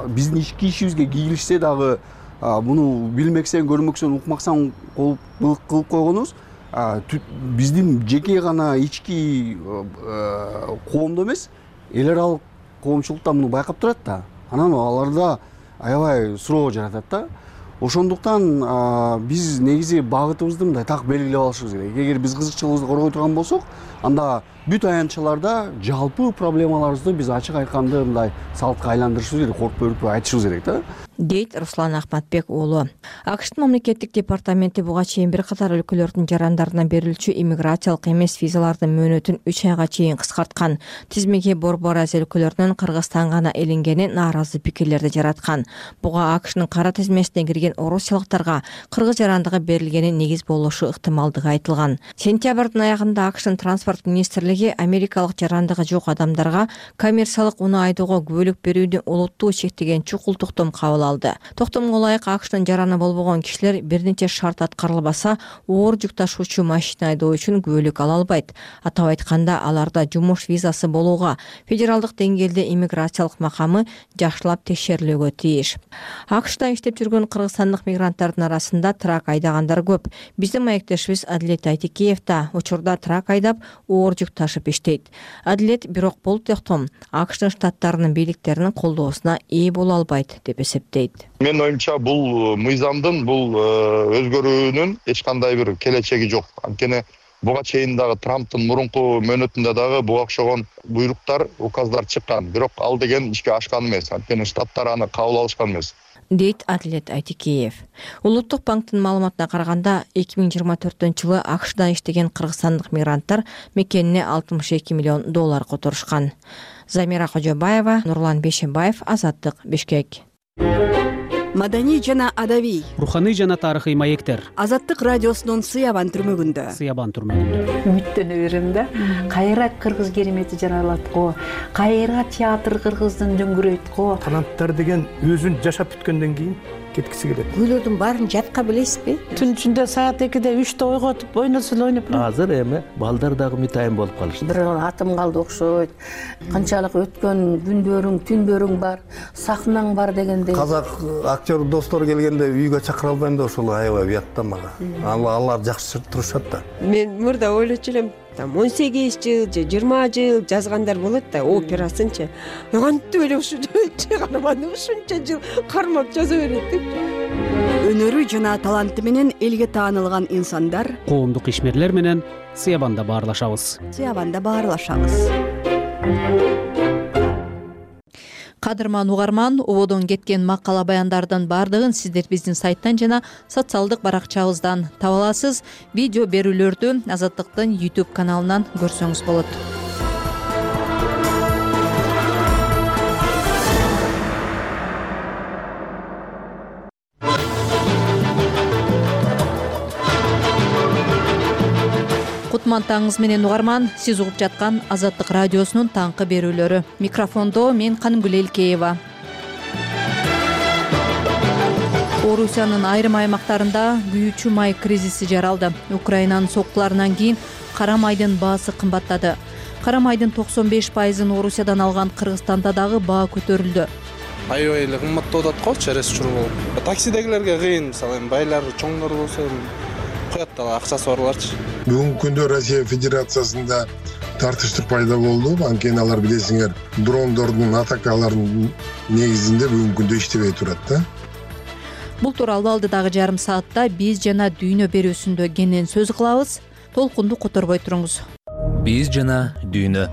биздин ички ишибизге кийилишсе дагы муну билмексен, көрмөксөн, укмаксан кылып койгонубуз биздин жеке гана ички коомдо эмес, эл аралык коомчулукта муну байкап турат да. Анан аларда аябай суроо жаратат да. Ошондуктан биз негизи багытыбызды мындай так белгилеп алышыбыз керек. Эгер биз кызыкчылыгыбызды коргой турган болсок, анда бүт аянтчаларда жалпы проблемаларыбызды биз ачык айтканды мындай салтка айландырышыбыз керек, коркпой өркпөй айтышыбыз керек да.
Дейт Руслан Ахматбек уулу. АКШтын мамлекеттик департаменти буга чейин бир катар өлкөлөрдүн жарандарына берилчү иммиграциялык эмес визалардын мөөнөтүн үч айга чейин кыскарткан. Тизмеге Борбор Азия өлкөлөрүнөн Кыргызстан гана илингени нааразы пикирлерди жараткан. Буга АКШнын кара тизмесине кирген орусиялыктарга кыргыз жарандыгы берилгени негиз болушу ыктымалдыгы айтылган. Сентябрдын аягында АКШнын транспорт министрлиги америкалык жарандыгы жок адамдарга коммерциялык унаа айдоого күбөлүк берүүнү олуттуу чектеген чукул токтом кабыл алды. Токтомго ылайык АКШтын жараны болбогон кишилер бир нече шарт аткарылбаса, оор жүк ташуучу машина айдоо үчүн күбөлүк ала албайт. Атап айтканда, аларда жумуш визасы болууга федералдык деңгээлде иммиграциялык макамы жакшылап текшерилүүгө тийиш. АКШта иштеп жүргөн кыргызстандык мигранттардын арасында трак айдагандар көп. Биздин маектешибиз Адилет Айтикеев да учурда трак айдап, оор жүк ташып иштейт. Адилет бирок бул токтом АКШтын штаттарынын бийликтеринин колдоосуна ээ боло албайт деп эсептейт.
Менин оюмча бул мыйзамдын бул өзгөрүүнүн эч кандай бир келечеги жок. Анткени буга чейин дагы Трамптын мурунку мөөнөтүндө дагы буга окшогон буйруктар, указдар чыккан. Бирок ал деген ишке ашкан эмес. Анткени штаттар аны кабыл алышкан эмес.
Дейт Адилет Айтикеев. Улуттук банктын маалыматына караганда, эки миң жыйырма төртүнчү жылы АКШда иштеген кыргызстандык мигранттар мекенине алтымыш эки миллион доллар которушкан. Замира Кожобаева, Нурлан Бешембаев, Азаттык, Бишкек.
Маданий жана адабий,
руханий жана тарыхый маектер.
Азаттык радиосунун Сыябан түрмөгүндө.
Сыябан түрмөгүндө.
Үмүттөнө берем да. Кайра кыргыз керемети жаралат го. Кайра театр кыргыздын дөңгүрөйт го.
Таланттар деген өзүн жашап бүткөндөн кийин кеткиси келет.
Күйлөрдүн баарын жатка билесизби?
Түн ичинде саат экиде үчтө ойготуп, ойносо эле ойноп.
Азыр эми балдар дагы мытайын болуп калышты.
Бир атым калды окшойт. Канчалык өткөн күндөрүң, түндөрүң бар, сахнаң бар дегендей.
Казак актер достор келгенде үйгө чакыра албайм да, ошол аябай уят да мага. Алар жакшы турушат да.
Мен мурда ойлочу элем, там он сегиз жыл же жыйырма жыл жазгандар болот да, операсынчы. Кантип эле ушунча карманды, ушунча жыл кармап жаза берет деп.
Өнөрү жана таланты менен элге таанылган инсандар,
коомдук ишмерлер менен Сыябанда баарлашабыз.
Сыябанда баарлашабыз.
Кадырман угарман, ободон кеткен макала баяндардын бардыгын сиздер биздин сайттан жана социалдык баракчабыздан таба аласыз. Видео берүүлөрдү Азаттыктын YouTube каналынан көрсөңүз болот. Кутман таңыңыз менен угарман, сиз угуп жаткан Азаттык радиосунун таңкы берүүлөрү. Микрофондо мен Канымгүл Элкеева. Орусиянын айрым аймактарында күйүүчү май кризиси жаралды. Украинанын соккуларынан кийин кара майдын баасы кымбаттады. Кара майдын токсон беш пайызын Орусиядан алган Кыргызстанда дагы баа көтөрүлдү.
Аябай эле кымбаттап атат го, через учур болуп. Таксидегилерге кыйын, мисалы байлар чоңдор болсо коет да акчасы барларчы.
Бүгүнкү күндө Россия Федерациясында тартыштык пайда болду. Анткени алар билесиңер, дрондордун атакаларынын негизинде бүгүнкү күндө иштебей турат да.
Бул тууралуу алдыдагы жарым саатта биз жана дүйнө берүүсүндө кенен сөз кылабыз. Толкунду которбой туруңуз.
Биз жана дүйнө.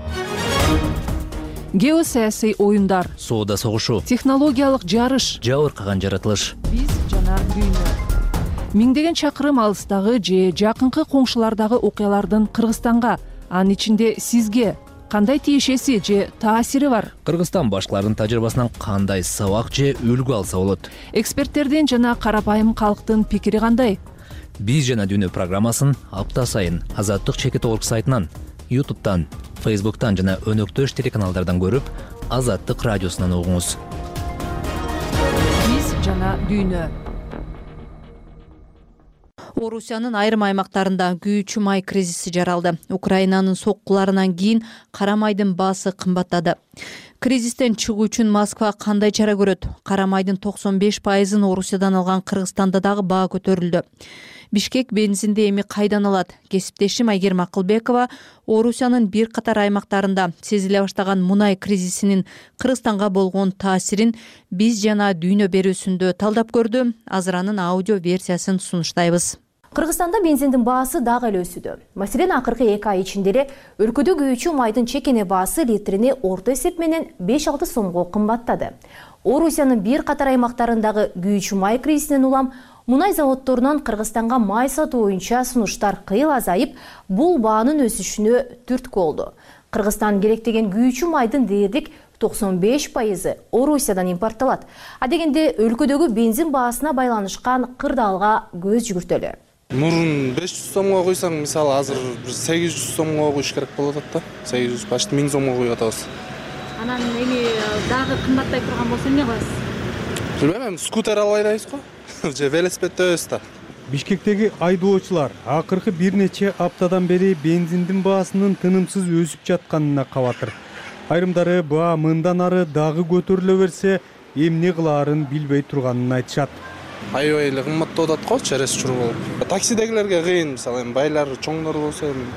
Геосаясий оюндар,
соода согушу,
технологиялык жарыш,
жабыркаган жаратылыш.
Биз жана дүйнө. Миңдеген чакырым алыстагы же жакынкы коңшулардагы окуялардын Кыргызстанга, анын ичинде сизге кандай тиешеси же таасири бар?
Кыргызстан башкаларынын тажрыйбасынан кандай сабак же үлгү алса болот?
Эксперттердин жана карапайым калктын пикири кандай?
Биз жана дүйнө программасын апта сайын Азаттык чекит орг сайтынан, YouTube'тан, Facebook'тан жана өнөктөш телеканалдардан көрүп, Азаттык радиосунан угуңуз.
Биз жана дүйнө.
Орусиянын айрым аймактарында күйүүчү май кризиси жаралды. Украинанын соккуларынан кийин кара майдын баасы кымбаттады. Кризистен чыгуу үчүн Москва кандай чара көрөт? Кара майдын токсон беш пайызын Орусиядан алган Кыргызстанда дагы баа көтөрүлдү. Бишкек бензинди эми кайдан алат? Кесиптешим Айгерим Акылбекова Орусиянын бир катар аймактарында сезиле баштаган мунай кризисинин Кыргызстанга болгон таасирин биз жана дүйнө берүүсүндө талдап көрдү. Азыр анын аудио версиясын сунуштайбыз.
Кыргызстанда бензиндин баасы дагы эле өсүүдө. Маселен, акыркы эки ай ичинде эле өлкөдө күйүүчү майдын чекене баасы литрине орто эсеп менен беш алты сомго кымбаттады. Орусиянын бир катар аймактарындагы күйүүчү май кризисинен улам мунай заводдорунан Кыргызстанга май сатуу боюнча сунуштар кыйыл азайып, бул баанын өсүшүнө түрткү болду. Кыргызстан керектеген күйүүчү майдын дээрлик токсон беш пайызы Орусиядан импорттолот. А дегенде өлкөдөгү бензин баасына байланышкан кырдаалга көз жүгүртөлү.
Мурун беш жүз сомго куйсаң, мисалы азыр сегиз жүз сомго куйуш керек болуп атат да. сегиз жүз почти миң сомго куюп атабыз.
Анан эми дагы кымбаттай турган болсо эмне кыласыз?
Билбейм, скутер албай атабыз го. Же велосипеддебиз да.
Бишкектеги айдоочулар акыркы бир нече аптадан бери бензиндин баасынын тынымсыз өсүп жатканына кабатыр. Айрымдары баа мындан ары дагы көтөрүлө берсе, эмне кылаарын билбей турганын айтышат.
Аябай эле кымбаттап атат го, через учур болуп. Таксидегилерге кыйын, мисалы эми байлар, чоңдор болсо эми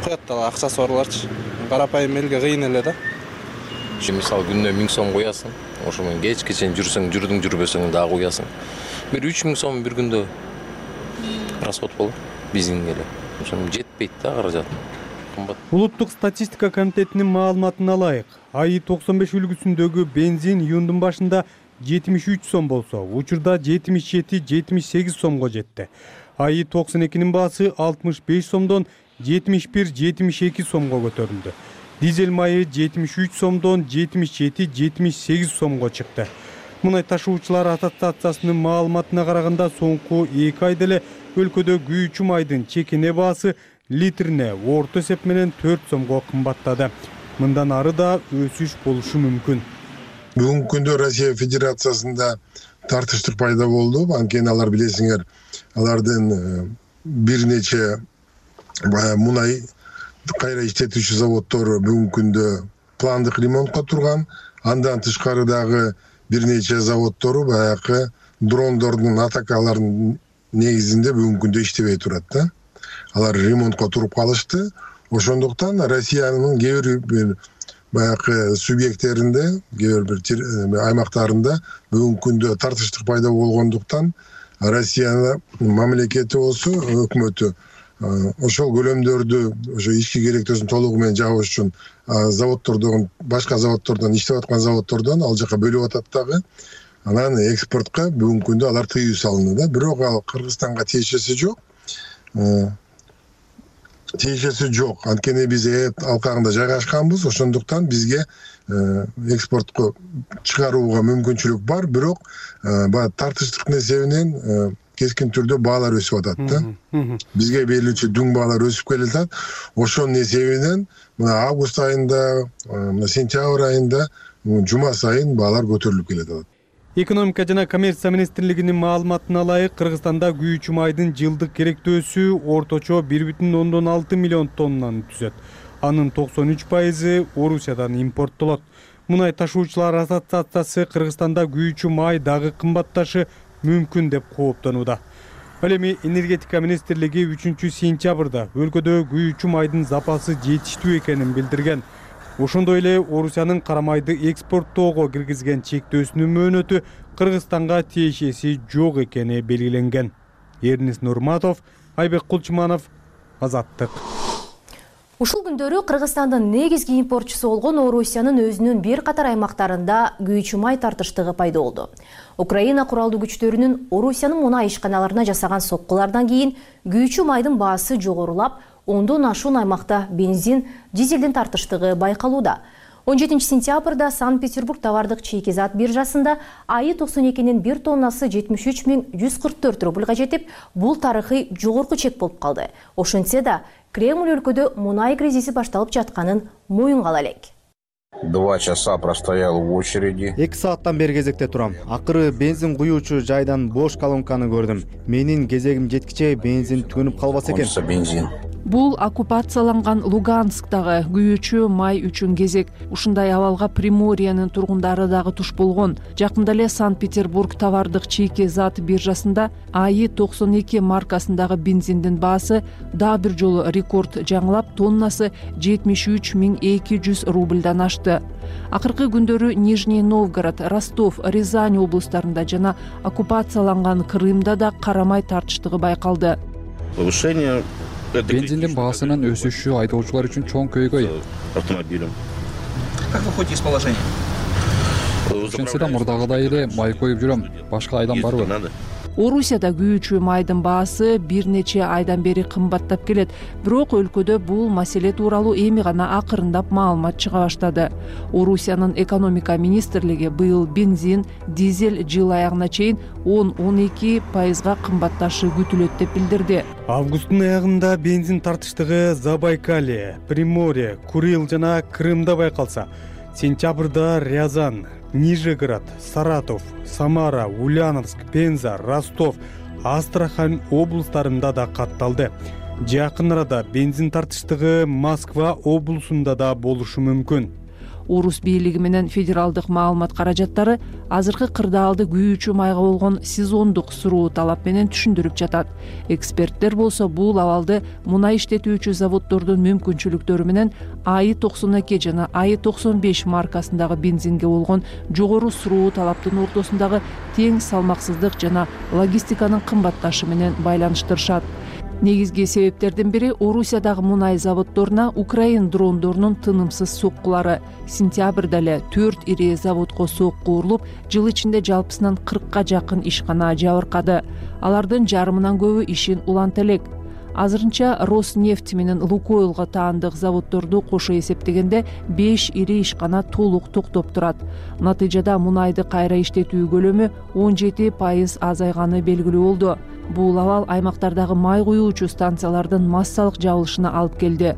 коет да акчасы барларчы. Карапайым элге кыйын эле да.
Мисалы күнүнө миң сом куясың, ошо менен кечке чейин жүрсөң, жүрдүң жүрбөсөң дагы куясың. Бир үч миң сом бир күндө расход болот бензинге эле. Ошону жетпейт да каражат. Кымбат.
Улуттук статистика комитетинин маалыматына ылайык, АИ токсон беш үлгүсүндөгү бензин июндун башында жетимиш үч сом болсо, учурда жетимиш жети жетимиш сегиз сомго жетти. АИ токсон экинин баасы алтымыш беш сомдон жетимиш бир жетимиш эки сомго көтөрүлдү. Дизель майы жетимиш үч сомдон жетимиш жети жетимиш сегиз сомго чыкты. Мунай ташуучулар ассоциациясынын маалыматына караганда соңку эки айда эле өлкөдө күйүүчү майдын чекене баасы литрине орто эсеп менен төрт сомго кымбаттады. Мындан ары да өсүш болушу мүмкүн.
Бүгүнкү күндө Россия Федерациясында тартыштык пайда болду. Анткени алар билесиңер, алардын бир нече мунай кайра иштетүүчү заводдор бүгүнкү күндө пландык ремонтко турган. Андан тышкары дагы бир нече заводдору баягы дрондордун атакаларынын негизинде бүгүнкү күндө иштебей турат да. Алар ремонтко туруп калышты. Ошондуктан Россиянын кээ бир баягы субъекттеринде, кээ бир аймактарында бүгүнкү күндө тартыштык пайда болгондуктан Россиянын мамлекети болсо, өкмөтү ошол көлөмдөрдү ошо ички керектөөсүн толугу менен жабыш үчүн заводдордон, башка заводдордон, иштеп аткан заводдордон ал жака бөлүп атат дагы. Анан экспортко бүгүнкү күндө алар тыюу салынды да. Бирок ал Кыргызстанга тиешеси жок. Тиешеси жок. Анткени биз эт алкагында жайгашканбыз, ошондуктан бизге экспортко чыгарууга мүмкүнчүлүк бар, бирок баягы тартыштык эсебинен кескин түрдө баалар өсүп атат да. Бизге берилүүчү дүң баалар өсүп келатат. Ошонун эсебинен мына август айында, мына сентябрь айында жума сайын баалар көтөрүлүп келатат.
Экономика жана коммерция министрлигинин маалыматына ылайык, Кыргызстанда күйүүчү майдын жылдык керектөөсү орточо бир бүтүн ондон алты миллион тоннаны түзөт. Анын токсон үч пайызы Орусиядан импорттолот. Мунай ташуучулар ассоциациясы Кыргызстанда күйүүчү май дагы кымбатташы мүмкүн деп кооптонууда. Ал эми энергетика министрлиги үчүнчү сентябрда өлкөдө күйүүчү майдын запасы жетиштүү экенин билдирген. Ошондой эле Орусиянын кара майды экспорттоого киргизген чектөөсүнүн мөөнөтү Кыргызстанга тиешеси жок экени белгиленген. Эрнис Нурматов, Айбек Кулчуманов, Азаттык.
Ушул күндөрү Кыргызстандын негизги импортчусу болгон Орусиянын өзүнүн бир катар аймактарында күйүүчү май тартыштыгы пайда болду. Украина куралдуу күчтөрүнүн Орусиянын мунай ишканаларына жасаган соккулардан кийин күйүүчү майдын баасы жогорулап, ондон ашуун аймакта бензин, дизелдин тартыштыгы байкалууда. он жетинчи сентябрда Санкт-Петербург товардык чейкизат биржасында АИ токсон экинин бир тоннасы жетимиш үч миң жүз кырк төрт рубльга жетип, бул тарыхый жогорку чек болуп калды. Ошентсе да, Кремль өлкөдө мунай кризиси башталып жатканын моюнга ала элек.
Два часа простоял в очереди.
эки сааттан бери кезекте турам. Акыры бензин куюучу жайдан бош колонканы көрдүм. Менин кезегим жеткиче бензин түгөнүп калбаса экен.
Бензин.
Бул оккупацияланган Луганскдагы күйүүчү май үчүн кезек. Ушундай абалга Приморьенин тургундары дагы туш болгон. Жакында эле Санкт-Петербург товардык чийки зат биржасында АИ токсон эки маркасындагы бензиндин баасы дагы бир жолу рекорд жаңылап, тоннасы жетимиш үч миң эки жүз рубльдан ашты. Акыркы күндөрү Нижний Новгород, Ростов, Рязань облустарында жана оккупацияланган Крымда да карамай тартыштыгы байкалды.
Повышение
бензиндин баасынын өсүшү айдоочулар үчүн чоң көйгөй.
Автомобилем.
Как вы выходите из положения?
Ошентсе да мурдагыдай эле май коюп жүрөм. Башка айдан барбы?
Орусияда күйүүчү майдын баасы бир нече айдан бери кымбаттап келет. Бирок өлкөдө бул маселе тууралуу эми гана акырындап маалымат чыга баштады. Орусиянын экономика министрлиги быйыл бензин, дизель жыл аягына чейин он — он эки пайызга кымбатташы күтүлөт деп билдирди.
Августтун аягында бензин тартыштыгы Забайкалье, Приморье, Курил жана Крымда байкалса, сентябрда Рязань, Нижегород, Саратов, Самара, Ульяновск, Пенза, Ростов, Астрахань облустарында да катталды. Жакын арада бензин тартыштыгы Москва облусунда да болушу мүмкүн.
Орус бийлиги менен федералдык маалымат каражаттары азыркы кырдаалды күйүүчү майга болгон сезондук суроо талап менен түшүндүрүп жатат. Эксперттер болсо бул абалды мунай иштетүүчү заводдордун мүмкүнчүлүктөрү менен АИ токсон эки жана АИ токсон беш маркасындагы бензинге болгон жогору суроо талаптын ортосундагы тең салмаксыздык жана логистиканын кымбатташы менен байланыштырышат. Негизги себептердин бири Орусиядагы мунай заводдоруна Украин дрондорунун тынымсыз соккулары. Сентябрда эле төрт ири заводко сокку урулуп, жыл ичинде жалпысынан кыркка жакын ишкана жабыркады. Алардын жарымынан көбү ишин уланта элек. Азырынча Роснефть менен Лукойлго таандык заводдорду кошо эсептегенде беш ири ишкана толук токтоп турат. Натыйжада мунайды кайра иштетүү көлөмү он жети пайыз азайганы белгилүү болду. Бул абал аймактардагы май куюучу станциялардын массалык жабылышына алып келди.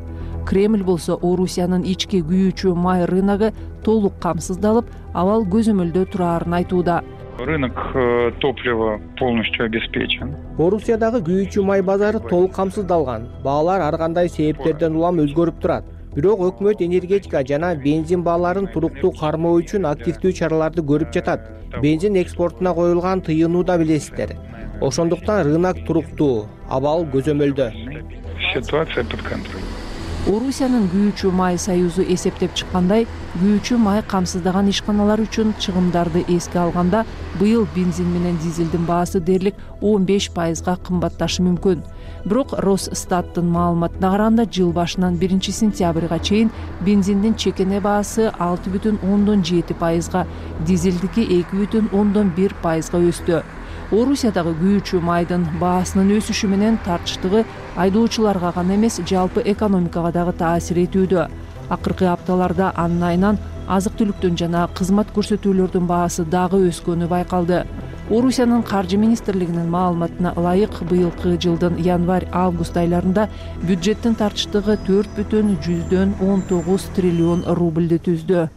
Кремль болсо Орусиянын ички күйүүчү май рыногу толук камсыздалып, абал көзөмөлдө турарын айтууда.
Рынок топлива полностью обеспечен.
Орусиядагы күйүүчү май базары толук камсыздалган. Баалар ар кандай себептерден улам өзгөрүп турат. Бирок өкмөт энергетика жана бензин бааларын туруктуу кармоо үчүн активдүү чараларды көрүп жатат. Бензин экспортуна коюлган тыйынуу да билесиздер. Ошондуктан рынок туруктуу, абал көзөмөлдө.
Ситуация под контролем.
Орусиянын күйүүчү май союзу эсептеп чыккандай, күйүүчү май камсыздаган ишканалар үчүн чыгымдарды эске алганда, быйыл бензин менен дизелдин баасы дээрлик он беш пайызга кымбатташы мүмкүн. Бирок Росстаттын маалыматына караганда жыл башынан биринчи сентябрга чейин бензиндин чекене баасы алты бүтүн ондон жети пайызга, дизелдики эки бүтүн ондон бир пайызга өстү. Орусиядагы күйүүчү майдын баасынын өсүшү менен тартыштыгы айдоочуларга гана эмес, жалпы экономикага дагы таасир этүүдө. Акыркы апталарда анын айынан азык-түлүктүн жана кызмат көрсөтүүлөрдүн баасы дагы өскөнү байкалды. Орусиянын каржы министрлигинин маалыматына ылайык, быйылкы жылдын январь-август айларында бюджеттин тартыштыгы төрт бүтүн жүздөн он тогуз триллион рубльди түздү.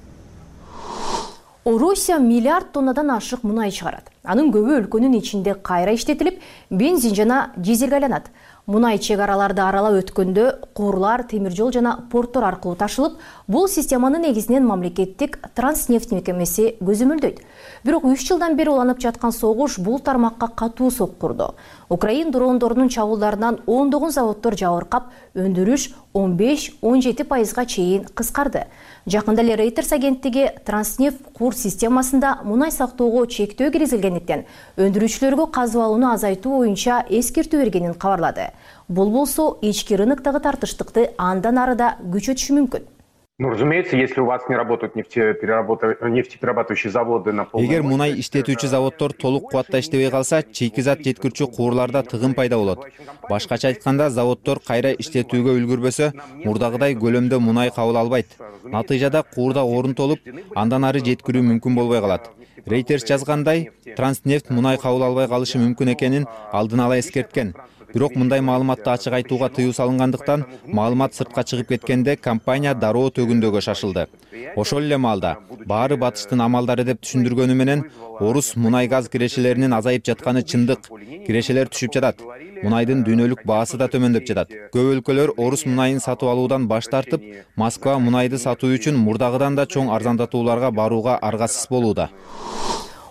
Орусия миллиард тоннадан ашык мунай чыгарат. Анын көбү өлкөнүн ичинде кайра иштетилип, бензин жана дизелге айланат. Мунай чек араларды аралап өткөндө куурлар, темир жол жана порттор аркылуу ташылып, бул системаны негизинен мамлекеттик Транснефть мекемеси көзөмөлдөйт. Бирок үч жылдан бери уланып жаткан согуш бул тармакка катуу соккурду. Украин дрондорунун чабуулдарынан ондогон заводдор жабыркап, өндүрүш он беш — он жети пайызга чейин кыскарды. Жакында эле Reuters агенттиги Транснефть кур системасында мунай сактоого чектөө киргизилгендиктен өндүрүүчүлөргө казып алууну азайтуу боюнча эскертүү бергенин кабарлады. Бул болсо ички рыноктогу тартыштыкты андан ары да күчөтүшү мүмкүн.
Ну, разумеется, если у вас не работают нефтеперерабатывающие заводы на полной...
Эгер мунай иштетүүчү заводдор толук кубатта иштебей калса, чийки зат жеткирүүчү куурларда тыгын пайда болот. Башкача айтканда, заводдор кайра иштетүүгө үлгүрбөсө, мурдагыдай көлөмдө мунай кабыл албайт. Натыйжада куурда орун толуп, андан ары жеткирүү мүмкүн болбой калат. Reuters жазгандай, Транснефть мунай кабыл албай калышы мүмкүн экенин алдын ала эскерткен. бирок мындай маалыматты ачык айтууга тыюу салынгандыктан маалымат сыртка чыгып кеткенде компания дароо төгүндөгө шашылды. Ошол эле маалда баары батыштын амалдары деп түшүндүргөнү менен орус мунай газ кирешелеринин азайып жатканы чындык. Кирешелер түшүп жатат. Мунайдын дүйнөлүк баасы да төмөндөп жатат. Көп өлкөлөр орус мунайын сатып алуудан баш тартып, Москва мунайды сатуу үчүн мурдагыдан да чоң арзандатууларга барууга аргасыз болууда.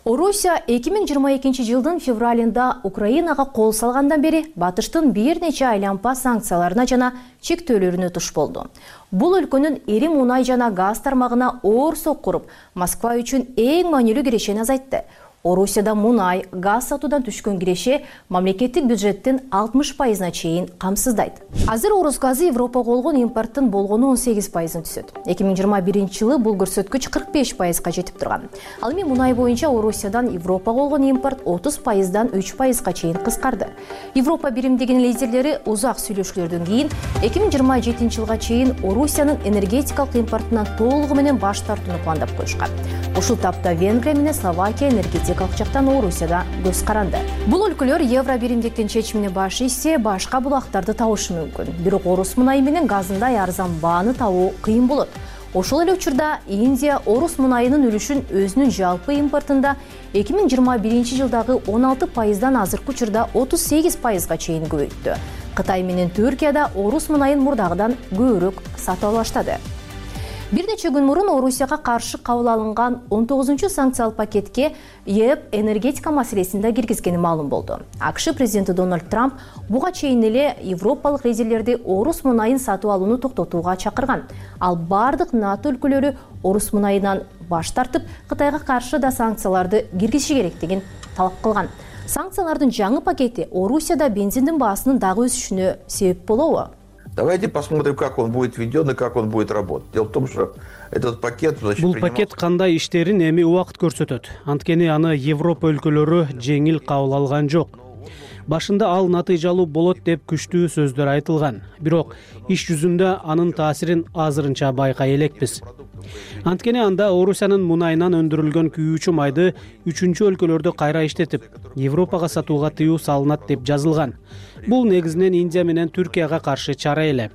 Орусия эки миң жыйырма экинчи жылдын февралында Украинага кол салгандан бери батыштын бир нече айлампа санкцияларына жана чектөөлөрүнө туш болду. Бул өлкөнүн ири мунай жана газ тармагына оор соккуруп, Москва үчүн эң маанилүү кирешени азайтты. Орусияда мунай, газ сатуудан түшкөн киреше мамлекеттик бюджеттин алтымыш пайызына чейин камсыздайт. Азыр орус газы Европага болгон импорттун болгону он сегиз пайызын түзөт. эки миң жыйырма биринчи жылы бул көрсөткүч кырк беш пайызга жетип турган. Ал эми мунай боюнча Орусиядан Европага болгон импорт отуз пайыздан үч пайызга чейин кыскарды. Европа биримдигинин лидерлери узак сүйлөшүүлөрдөн кийин эки миң жыйырма жетинчи жылга чейин Орусиянын энергетикалык импортунан толугу менен баш тартууну пландап коюшкан. Ушул тапта Венгрия менен Словакия энергетикалык жактан Орусияда көз каранды. Бул өлкөлөр евро биримдиктин чечимине баш ийсе, башка булактарды табышы мүмкүн. Бирок орус мунайы менен газындай арзан бааны табуу кыйын болот. Ошол эле учурда Индия орус мунайынын үлүшүн өзүнүн жалпы импортунда эки миң жыйырма биринчи жылдагы он алты пайыздан азыркы учурда отуз сегиз пайызга чейин көбөйттү. Кытай менен Түркияда орус мунайын мурдагыдан көбүрөөк сатып ала баштады. Бир нече күн мурун Орусияга каршы кабыл алынган он тогузунчу санкциялык пакетке ЕС энергетика маселесин да киргизгени маалым болду. АКШ президенти Дональд Трамп буга чейин эле европалык лидерлерди орус мунайын сатып алууну токтотууга чакырган. Ал бардык НАТО өлкөлөрү орус мунайынан баш тартып, Кытайга каршы да санкцияларды киргизиши керектигин талап кылган. Санкциялардын жаңы пакети Орусияда бензиндин баасынын дагы өсүшүнө себеп болобу?
Давайте посмотрим, как он будет введен и как он будет работать. Дело в том, что этот пакет...
Бул пакет кандай иштерин эми убакыт көрсөтөт. Анткени аны Европа өлкөлөрү жеңил кабыл алган жок. Башында ал натыйжалуу болот деп күчтүү сөздөр айтылган. Бирок иш жүзүндө анын таасирин азырынча байкай элекпиз. Анткени анда Орусиянын мунайынан өндүрүлгөн күйүүчү майды үчүнчү өлкөлөрдө кайра иштетип, Европага сатууга тыюу салынат деп жазылган. Бул негизинен Индия менен Түркияга каршы чара эле.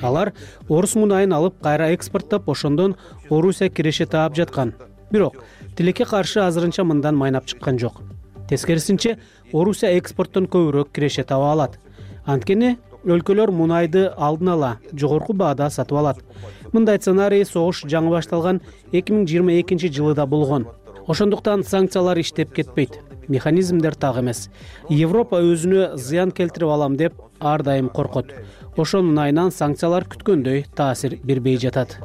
Алар орус мунайын алып кайра экспорттоп, ошондон Орусия киреше таап жаткан. Бирок тилекке каршы азырынча мындан майнап чыккан жок. Тескерисинче, Орусия экспорттон көбүрөөк киреше таба алат. Анткени өлкөлөр мунайды алдын ала жогорку баада сатып алат. Мындай сценарий согуш жаңы башталган эки миң жыйырма экинчи жылы да болгон. Ошондуктан санкциялар иштеп кетпейт. Механизмдер так эмес. Европа өзүнө зыян келтирип алам деп ар дайым коркот. Ошонун айынан санкциялар күткөндөй таасир бербей жатат.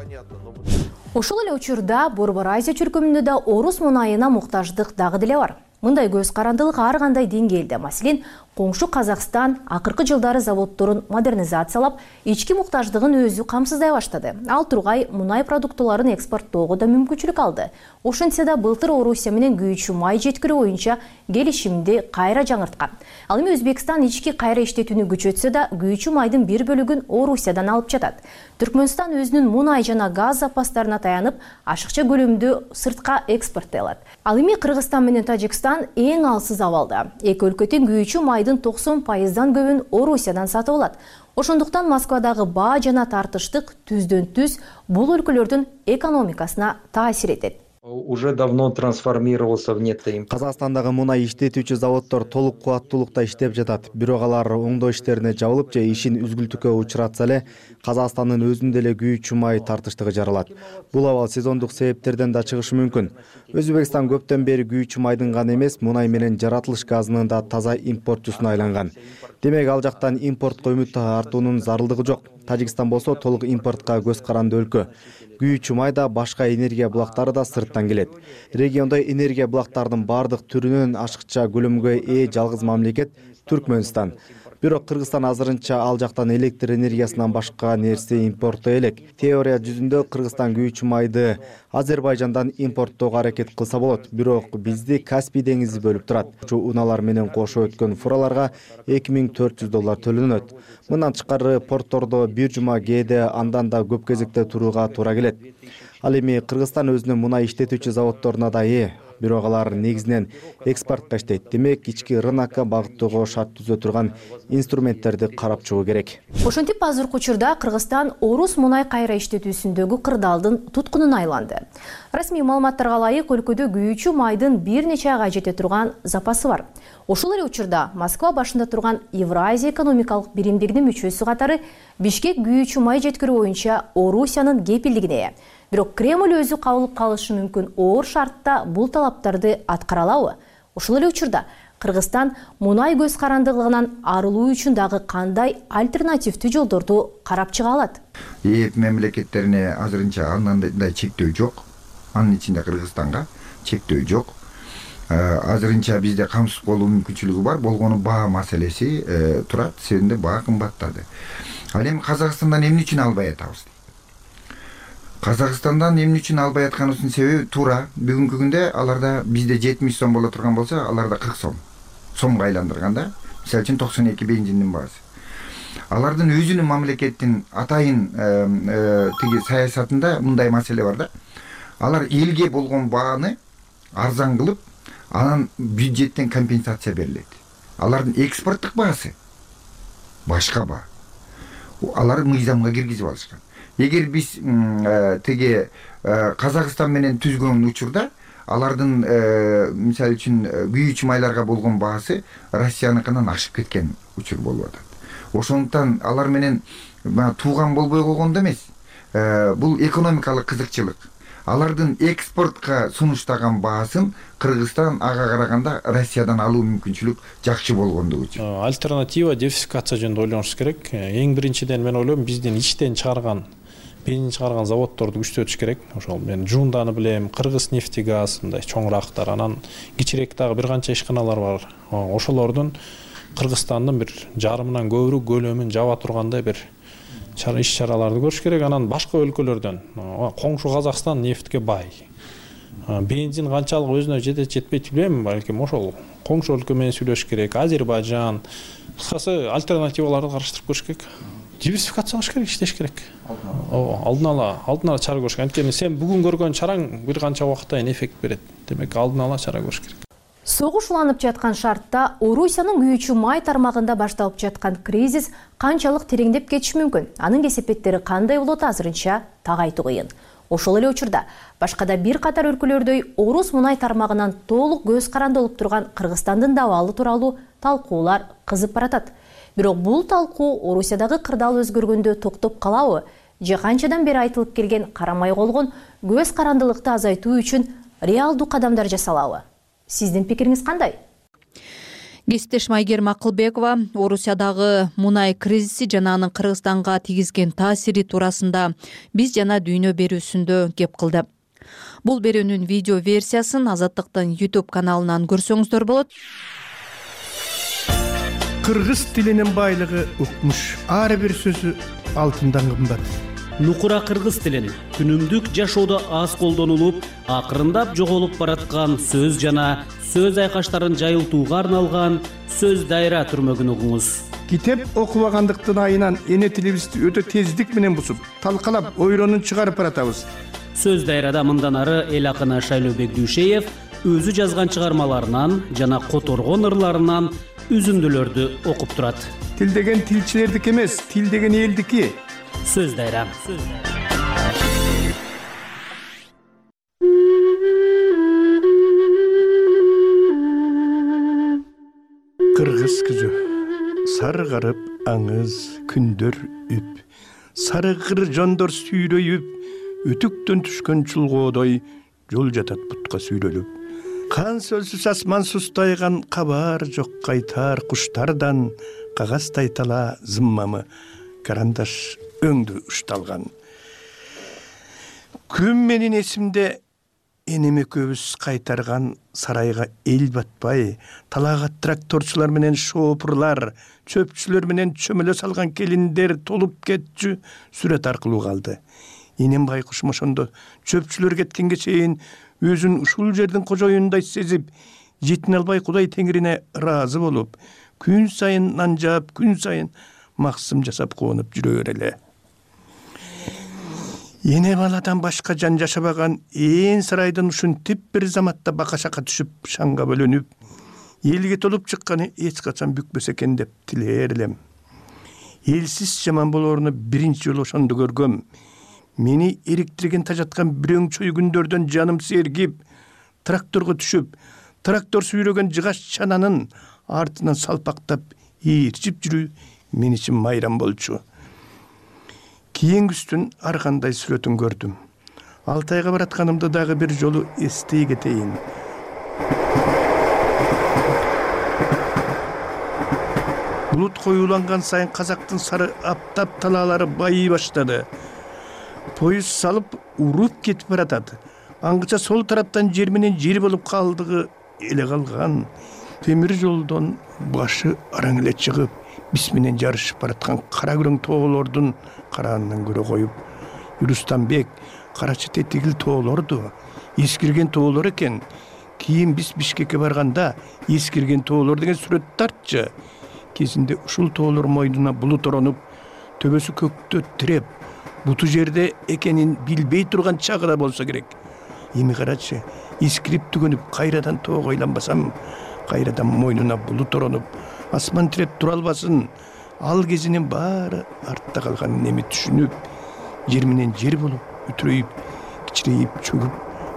Ошол эле учурда Борбор Азия чуркөмүндө да орус мунайына муктаждык дагы деле бар. Мындай көз карандылык ар кандай деңгээлде. Маселен, коңшу Казакстан акыркы жылдары заводдорун модернизациялап, ички муктаждыгын өзү камсыздай баштады. Ал тургай мунай продуктыларын экспорттоого да мүмкүнчүлүк алды. Ошентсе да былтыр Орусия менен күйүүчү май жеткирүү боюнча келишимди кайра жаңырткан. Ал эми Өзбекстан ички кайра иштетүүнү күчөтсө да, күйүүчү майдын бир бөлүгүн Орусиядан алып жатат. Түркмөнстан өзүнүн мунай жана газ запастарына таянып, ашыкча көлөмдө сыртка экспорттой алат. Ал эми Кыргызстан менен Тажикстан эң алсыз абалда. Эки өлкө тең күйүүчү майдын токсон пайыздан көбүн Орусиядан сатып алат. Ошондуктан Москвадагы баа жана тартыштык түздөн түз бул өлкөлөрдүн экономикасына таасир этет.
Уже давно трансформировался в нетто.
Казакстандагы мунай иштетүүчү заводдор толук кубаттуулукта иштеп жатат. Бирок алар оңдоо иштерине жабылып же ишин үзгүлтүккө учуратса эле, Казакстандын өзүндө эле күйүүчү май тартыштыгы жаралат. Бул абал сезондук себептерден да чыгышы мүмкүн. Өзбекстан көптөн бери күйүүчү майдын гана эмес, мунай менен жаратылыш газынын да таза импортчусуна айланган. Демек ал жактан импортко үмүт артуунун зарылдыгы жок. Тажикстан болсо толук импортко көз каранды өлкө. Күйүүчү май да, башка энергия булактары да сырттан келет. Региондо энергия булактарынын бардык түрүнөн ашыкча көлөмгө ээ жалгыз мамлекет Түркмөнстан. Бирок Кыргызстан азырынча ал жактан электр энергиясынан башка нерсе импорттой элек. Теория жүзүндө Кыргызстан күйүүчү майды Азербайжандан импорттоого аракет кылса болот. Бирок бизди Каспий деңизи бөлүп турат. Унаалар менен кошо өткөн фураларга эки миң төрт жүз доллар төлөнөт. Мындан тышкары порттордо бир жума кээде андан да көп кезекте турууга туура келет. Ал эми Кыргызстан өзүнүн мунай иштетүүчү заводдоруна да ээ. бирок алар негизинен экспортко иштейт. Демек ички рынокко багыттоого шарт түзө турган инструменттерди карап чыгуу керек.
Ошентип азыркы учурда Кыргызстан орус мунай кайра иштетүүсүндөгү кырдаалдын туткунуна айланды. Расмий маалыматтарга ылайык өлкөдө күйүүчү майдын бир нече айга жете турган запасы бар. Ошол эле учурда Москва башында турган Евразия экономикалык биримдигинин мүчөсү катары Бишкек күйүүчү май жеткирүү боюнча Орусиянын кепилдигине ээ. Бирок Кремль өзү кабылып калышы мүмкүн оор шартта бул талаптарды аткара алабы? Ошол эле учурда Кыргызстан мунай көз карандылыгынан арылуу үчүн дагы кандай альтернативдүү жолдорду карап чыга алат?
ЕЭП мамлекеттерине азырынча андай чектөө жок. Анын ичинде Кыргызстанга чектөө жок. Азырынча бизде камсыз болуу мүмкүнчүлүгү бар. Болгону баа маселеси турат. Себебинде баа кымбаттады. Ал эми Казакстандан эмне үчүн албай атабыз? Казакстандан эмне үчүн албай атканыбыздын себеби туура. Бүгүнкү күндө аларда бизде жетимиш сом боло турган болсо, аларда кырк сом. Сомго айландырганда, мисалы үчүн токсон эки бензиндин баасы. Алардын өзүнүн мамлекеттин атайын тиги саясатында мындай маселе бар да. Алар элге болгон бааны арзан кылып, анан бюджеттен компенсация берилет. Алардын экспорттук баасы башка баа. Алар мыйзамга киргизип алышкан. Эгер биз тиги Казакстан менен түзгөн учурда алардын мисалы үчүн күйүүчү майларга болгон баасы Россияныкынан ашып кеткен учур болуп атат. Ошондуктан алар менен тууган болбой койгондо эмес, бул экономикалык кызыкчылык. Алардын экспортко сунуштаган баасын Кыргызстан ага караганда Россиядан алуу мүмкүнчүлүк жакшы болгондугу үчүн.
Альтернатива диверсификация жөнүндө ойлонуш керек. Эң биринчиден мен ойлойм, биздин ичтен чыгарган бензин чыгарган заводдорду күчтөтүш керек. Ошол мен Жунданы билем, Кыргыз нефтегаз, мындай чоңурактар, анан кичирээк дагы бир канча ишканалар бар. Ошолордун Кыргызстандын бир жарымынан көбүрөөк көлөмүн жаба тургандай бир иш-чараларды көрүш керек. Анан башка өлкөлөрдөн, коңшу Казакстан нефтке бай. Бензин канчалык өзүнө жетет жетпейт билбейм, балким ошол коңшу өлкө менен сүйлөшүш керек. Азербайжан, кыскасы альтернативаларды караштырып көрүш керек. Диверсификация кылыш керек, иштеш керек. Алдын ала, алдын ала чара көрүш керек. Анткени сен бүгүн көргөн чараң бир канча убакытта эффект берет. Демек алдын ала чара көрүш керек.
Согуш уланып жаткан шартта Орусиянын күйүүчү май тармагында башталып жаткан кризис канчалык тереңдеп кетиши мүмкүн? Анын кесепеттери кандай болот азырынча так айтуу кыйын. Ошол эле учурда башкада бир катар өлкөлөрдөй орус мунай тармагынан толук көз каранды болуп турган Кыргызстандын да абалы тууралуу талкуулар кызып баратат. Бирок бул талкуу Орусиядагы кырдаал өзгөргөндө токтоп калабы? Же канчадан бери айтылып келген карамай колгон көз карандылыкты азайтуу үчүн реалдуу кадамдар жасалабы? Сиздин пикириңиз кандай?
Кесиптеш Майгерим Акылбекова Орусиядагы мунай кризиси жана анын Кыргызстанга тийгизген таасири туурасында биз жана дүйнө берүүсүндө кеп кылды. Бул берүүнүн видео версиясын Азаттыктын YouTube каналынан көрсөңүздөр болот.
Кыргыз тилинин байлыгы укмуш. Ар бир сөзү алтындан кымбат.
Нукура кыргыз тилин күнүмдүк жашоодо аз колдонулуп, акырындап жоголуп бараткан сөз жана сөз айкаштарын жайылтууга арналган сөз дайра түрмөгүн угуңуз.
Китеп окубагандыктын айынан эне тилибизди өтө тездик менен бусуп, талкалап, ойронун чыгарып баратабыз.
Сөз дайрада мындан ары эл акыны Шайлообек Дүйшеев өзү жазган чыгармаларынан жана которгон ырларынан үзүндүлөрдү окуп турат.
Тил деген тилчилердики эмес, тил деген элдики.
Сөз дайра.
Кыргыз күзү саргарып аңыз күндөр үп, сарыгыр жондор сүйрөйүп, үтүктөн түшкөн чулгоодой жол жатат бутка сүйрөлүп. Кан сөлсүз асман сустайган, кабар жок кайтар куштардан, кагаз тайтала зыммамы карандаш өңдү ушталган. Күн менин эсимде энеме көбүс кайтарган сарайга эл батпай, талаага тракторчулар менен шоопурлар, чөпчүлөр менен чөмөлө салган келиндер толуп кетчү сүрөт аркылуу калды. Энем байкуш ошондо чөпчүлөр кеткенге чейин өзүн ушул жердин кожоюндай сезип, жетине албай Кудай теңирине ыраазы болуп, күн сайын нан жаап, күн сайын максым жасап куунуп жүрөр эле. эне баладан башка жан жашабаган ээн сарайдын ушинтип бир заматта бака шака түшүп шаңга бөлөнүп элге толуп чыкканы эч качан бүкпөс экен деп тилээр элем. Элсиз жаман болооруну биринчи жолу ошондо көргөм. Мени эриктирген тажаткан бирөөң чөй күндөрдөн жаным сергип, тракторго түшүп, трактор сүйрөгөн жыгаш чананын артынан салпактап ээрчип жүрүү мен үчүн майрам болчу. Кийингүстүн ар кандай сүрөтүн көрдүм. Алтайга баратканымды дагы бир жолу эстей кетейин. Булут коюланган сайын казактын сары аптап талаалары байый баштады. Поезд салып уруп кетип баратат. Аңгыча сол тараптан жер менен жер болуп калдыгы эле калган. Темир жолдон башы араң эле чыгып, биз менен жарышып бараткан кара күрөң тоолордун караанынан көрө коюп, Юрустанбек карачы тетигил тоолорду, эскирген тоолор экен. Кийин биз Бишкекке барганда эскирген тоолор деген сүрөт тартчы. Кезинде ушул тоолор мойнуна булут оронуп, төбөсү көктө тиреп, буту жерде экенин билбей турган чагы болсо керек. Эми карачы, эскирип түгөнүп кайрадан тоого айланбасам, кайрадан мойнуна булут оронуп, асман тиреп тура албасын. Ал кезинин баары артта калганын эми түшүнүп, жер менен жер болуп, үтүрөйүп, кичирейип, чөгүп,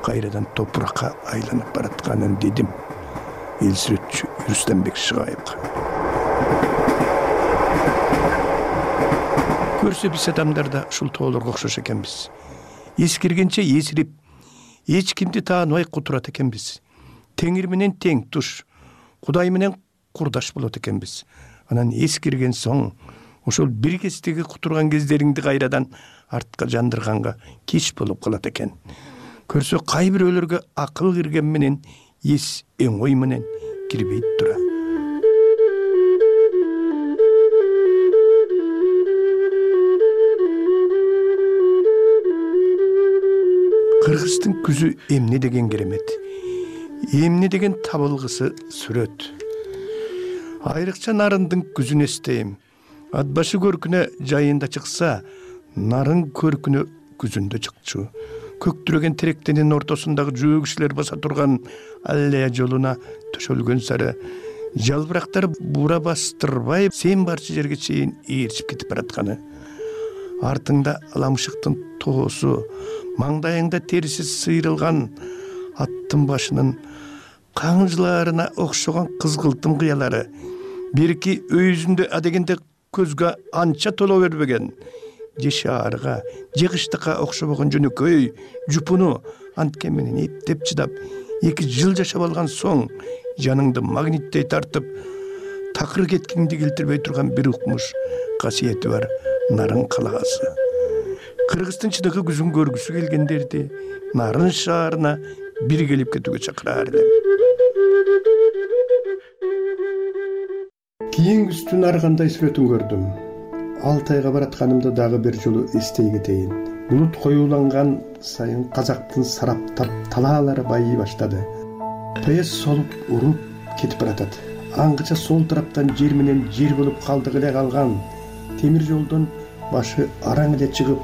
кайрадан топуракка айланып баратканын дедим. Эл сүрөтчү Юрустанбек Шыгаевга. Көрсө биз адамдар да ушул тоолорго окшош экенбиз. Эскиргенче эсирип, эч кимди тааныбай кутурат экенбиз. Теңир менен тең туш, Кудай менен курдаш болот экенбиз. Анан эскирген соң, ошол бир кездеги кутурган кездериңди кайрадан артка жандырганга кеч болуп калат экен. Көрсө кай бирөөлөргө акыл кирген менен эс оңой менен кирбейт тура. Кыргыздын күзү эмне деген керемет. Эмне деген табылгысы сүрөт. Айрыкча нарындын күзүн эстейм. Ат башы көркүнө жайында чыкса, нарын көркүнө күзүндө чыкчу. Көктүрөгөн теректенин ортосундагы жөө кишилер баса турган аллея жолуна төшөлгөн сары жалбырактар бура бастырбай сен барчы жерге чейин ээрчип кетип баратканы. Артыңда аламышыктын тоосу, маңдайыңда териси сыйрылган аттын башынын каңжыларына окшогон кызгылтым кыялары, бирки өйүзүндө адегенде көзгө анча толо бербеген, же шаарга, же кыштыкка окшобогон жөнөкөй жупуну анткен менен эптеп чыдап, эки жыл жашап алган соң жаныңды магниттей тартып, такыр кеткиңди келтирбей турган бир укмуш касиети бар нарын калагасы. Кыргыздын чыныгы күзүн көргүсү келгендерди нарын шаарына бир келип кетүүгө чакыраар элем. Кийингүстүн ар кандай сүрөтүн көрдүм. Алтайга баратканымды дагы бир жолу эстей кетейин. Булут коюланган сайын казактын сараптап талаалары байый баштады. Поезд солуп уруп кетип баратат. Аңгыча сол тараптан жер менен жер болуп калдыгы эле калган. Темир жолдон башы араң эле чыгып,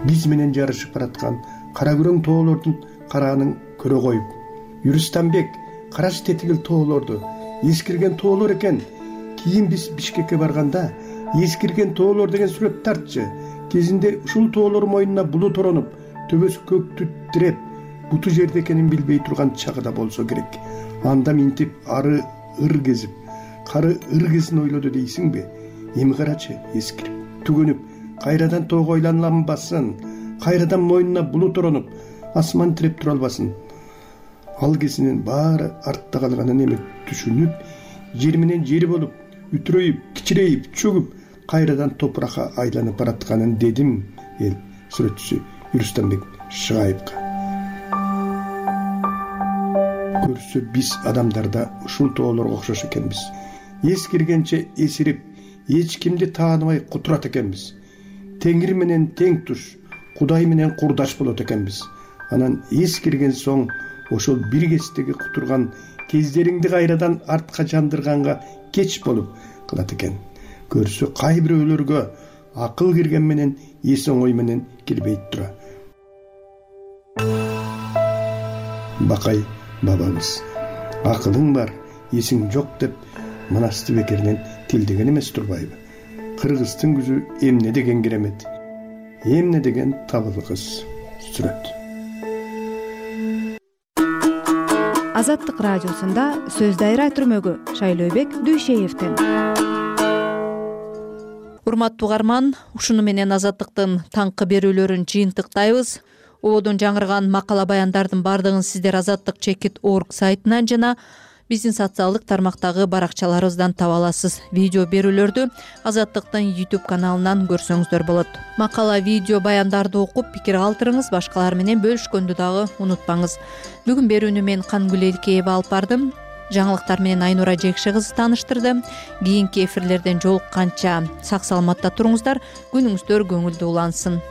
биз менен жарышып бараткан кара күрөң тоолордун караанын көрө коюп, Юрустанбек караш тетигил тоолорду, эскирген тоолор экен. Кийин биз Бишкекке барганда эскирген тоолор деген сүрөт тартчы. Кезинде ушул тоолор мойнуна булут оронуп, төбөсү көктү тиреп, буту жерде экенин билбей турган чагы да болсо керек. Анда минтип ары ыр кезип, кары ыр кезин ойлоду дейсиңби? Эми карачы, эскирип, түгөнүп, кайрадан тоого айланбасын, кайрадан мойнуна булут оронуп, асман тиреп тура албасын. Ал кезинин баары артта калганын эми түшүнүп, жер менен жер болуп, үтүрөйүп, кичирейип, чөгүп, кайрадан топуракка айланып баратканын дедим. Эл сүрөтчүсү Юрустанбек Шыгаевга. Көрсө биз адамдарда ушул тоолорго окшош экенбиз. Эскиргенче эсирип, эч кимди тааныбай кутурат экенбиз. Теңир менен тең туш, Кудай менен курдаш болот экенбиз. Анан эскирген соң ошол бир кездеги кутурган кездериңди кайрадан артка жандырганга кеч болуп калат экен. Көрсө кай бирөөлөргө акыл кирген менен эс оңой менен кирбейт тура. Бакай бабамыз. Акылың бар, эсиң жок деп Манасты бекеринен тилдеген эмес турбайбы? Кыргыздын күзү эмне деген керемет, эмне деген табылы кыз. Сүрөт.
Азаттык радиосунда сөз дайра түрмөгү Шайлообек Дүйшеевден.
Урматтуу угарман, ушуну менен Азаттыктын таңкы берүүлөрүн жыйынтыктайбыз. Ободон жаңырган макала баяндардын бардыгын сиздер Азаттык чекит орг сайтынан жана биздин социалдык тармактагы баракчаларыбыздан таба аласыз. Видео берүүлөрдү Азаттыктын YouTube каналынан көрсөңүздөр болот. Макала, видео баяндарды окуп пикир калтырыңыз, башкалар менен бөлүшкөндү дагы унутпаңыз. Бүгүн берүүнү мен Кангүл Элкеева алып бардым. Жаңылыктар менен Айнура Жекше кызы тааныштырды. Кийинки эфирлерден жолукканча сак саламатта туруңуздар, күнүңүздөр көңүлдүү улансын.